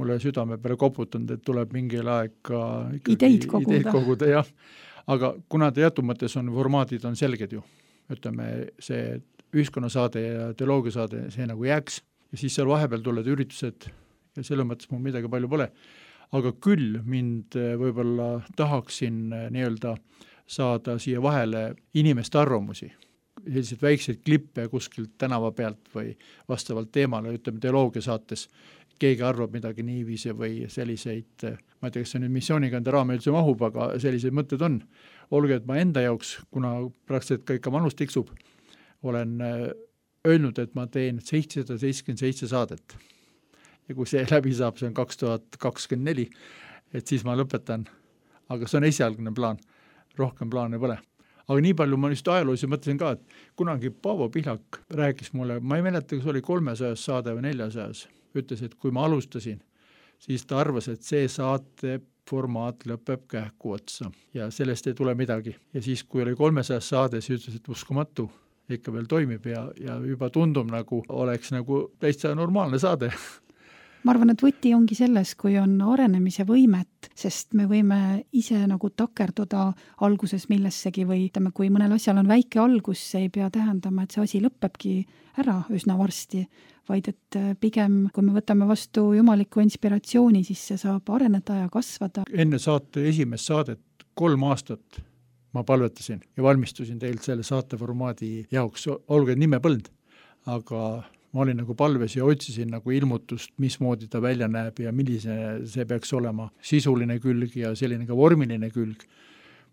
mulle südame peale koputanud, et tuleb mingil aeg ka ideid koguda, ideid koguda jah. Aga kuna teatud mõttes on formaadid on selged ju, ütleme see ühiskonnasaade ja teoloogiasaade, see nagu jääks ja siis seal vahepeal tulevad üritused ja selle mõttes mul midagi palju pole. Aga küll mind võib-olla tahaksin nii-öelda saada siia vahele inimeste arvamusi, selliseid väikseid klippe kuskilt tänava pealt või vastavalt teemale, ütleme teoloogiasaates, keegi arvab midagi niiviisi või selliseid, ma ei tea, kas see nüüd missioonikanде raame üldse mahub, aga selliseid mõtted on. Olge, et ma enda jaoks, kuna praktiliselt ka ikka manus tiksub, olen öelnud, et ma teen seitsesada seitsekümmend seitse saadet. Ja kui see läbi saab, see on kaks tuhat kakskümmend neli, et siis ma lõpetan. Aga see on esialgne plaan, rohkem plaane pole. Aga nii palju ma just ajaloos mõtlesin ka, et kunagi Paavo Pihlak rääkis mulle, ma ei mäleta, kas oli kolmesajas saade või neljasajas, ütles, et kui ma alustasin, siis ta arvas, et see saate formaat lõpeb kähku otsa ja sellest ei tule midagi. Ja siis, kui oli kolmesajas saade, siis ütles, et uskumatu, ikka veel toimib ja, ja juba tundub nagu, oleks nagu täitsa normaalne saade. Ma arvan, et võti ongi selles, kui on arenemise võimet, sest me võime ise nagu takerduda alguses millessegi või ütleme, kui mõnel asjal on väike algus, see ei pea tähendama, et see asi lõpebki ära üsna varsti, vaid et pigem, kui me võtame vastu jumaliku inspiratsiooni, siis see saab areneda ja kasvada. Enne saate esimest saadet kolm aastat ma palvetasin ja valmistusin teilt selle saateformaadi jaoks, olgu nime põld, aga ma olin nagu palves ja otsisin nagu ilmutust, mismoodi ta välja näeb ja millise see peaks olema sisuline külg ja selline ka vormiline külg.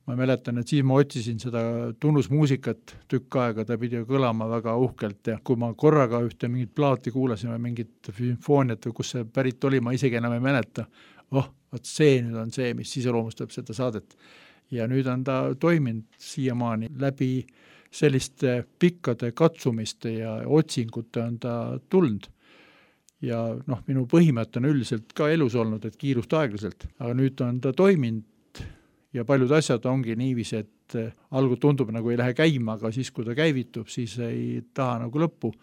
Ma mäletan, et siis ma otsisin seda tunnusmuusikat tükk aega, ta pidi kõlama väga uhkelt ja kui ma korraga ühte mingit plaati kuulasime, mingit sümfooniat või kus see pärit oli, ma isegi enam ei mäleta. Oh, vaat see nüüd on see, mis iseloomustab seda saadet. Ja nüüd on ta toiminud siiamaani läbi selliste pikkade katsumiste ja otsingute on ta tulnud. Ja noh, minu põhimõte on üldiselt ka elus olnud, et kiirust aeglaselt, aga nüüd on ta toiminud ja paljud asjad ongi niiviisi, et algu tundub nagu ei lähe käima, aga siis kui ta käivitub, siis ei taha nagu lõppu.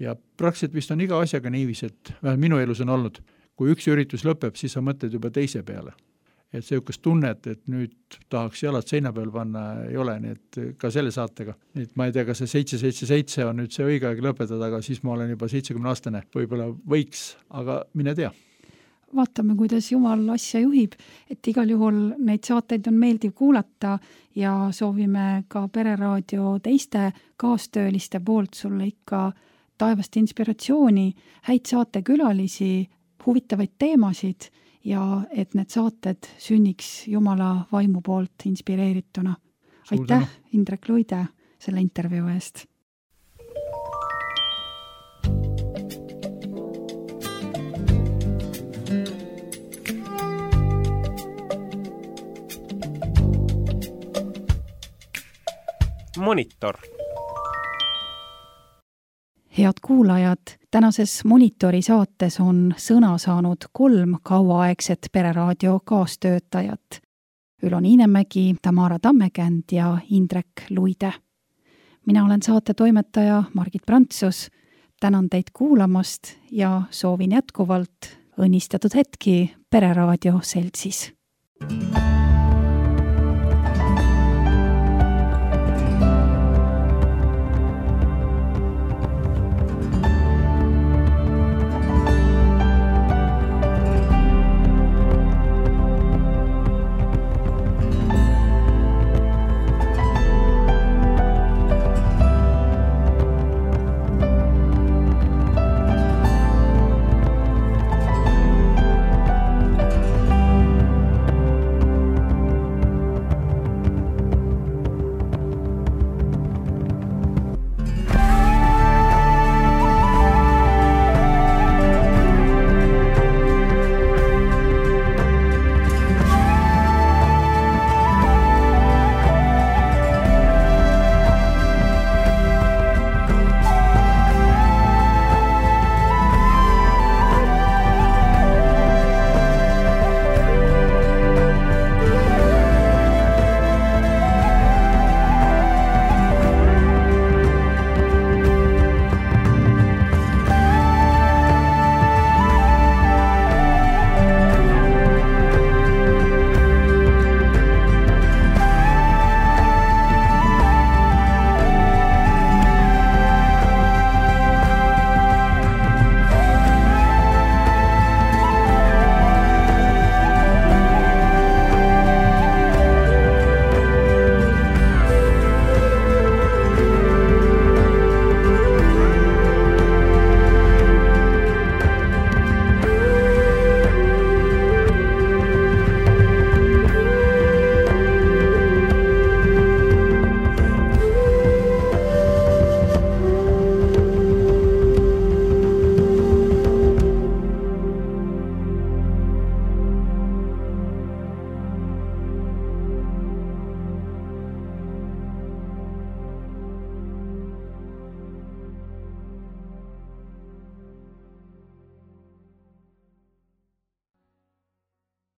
Ja praktiliselt vist on iga asjaga niiviisi, et vähemalt minu elus on olnud, kui üks üritus lõpeb, siis sa mõtled juba teise peale. Et see jõukas tunnet, et nüüd tahaks jalad seina peal panna, ei ole, nii et ka selle saatega. Nii et ma ei tea, kas see seitse seitse seitse on nüüd see õige aeg lõpetada, aga siis ma olen juba seitsekümne aastane, võib-olla võiks, aga mine tea. Vaatame, kuidas Jumal asja juhib, et igal juhul neid saateid on meeldiv kuulata ja soovime ka Pereraadio teiste kaastööliste poolt sulle ikka taevast inspiratsiooni, häid saatekülalisi, huvitavaid teemasid ja et need saated sünniks Jumala vaimu poolt inspireerituna. Aitäh, Indrek Luide, selle intervjuu eest. Monitor. Head kuulajad, tänases Monitori saates on sõna saanud kolm kauaaegset Pereraadio kaastöötajat. Ülo Niinemägi, Tamara Tammekänd ja Indrek Luide. Mina olen saate toimetaja Margit Prantsus. Tänan teid kuulamast ja soovin jätkuvalt õnnistatud hetki Pereraadio seltsis.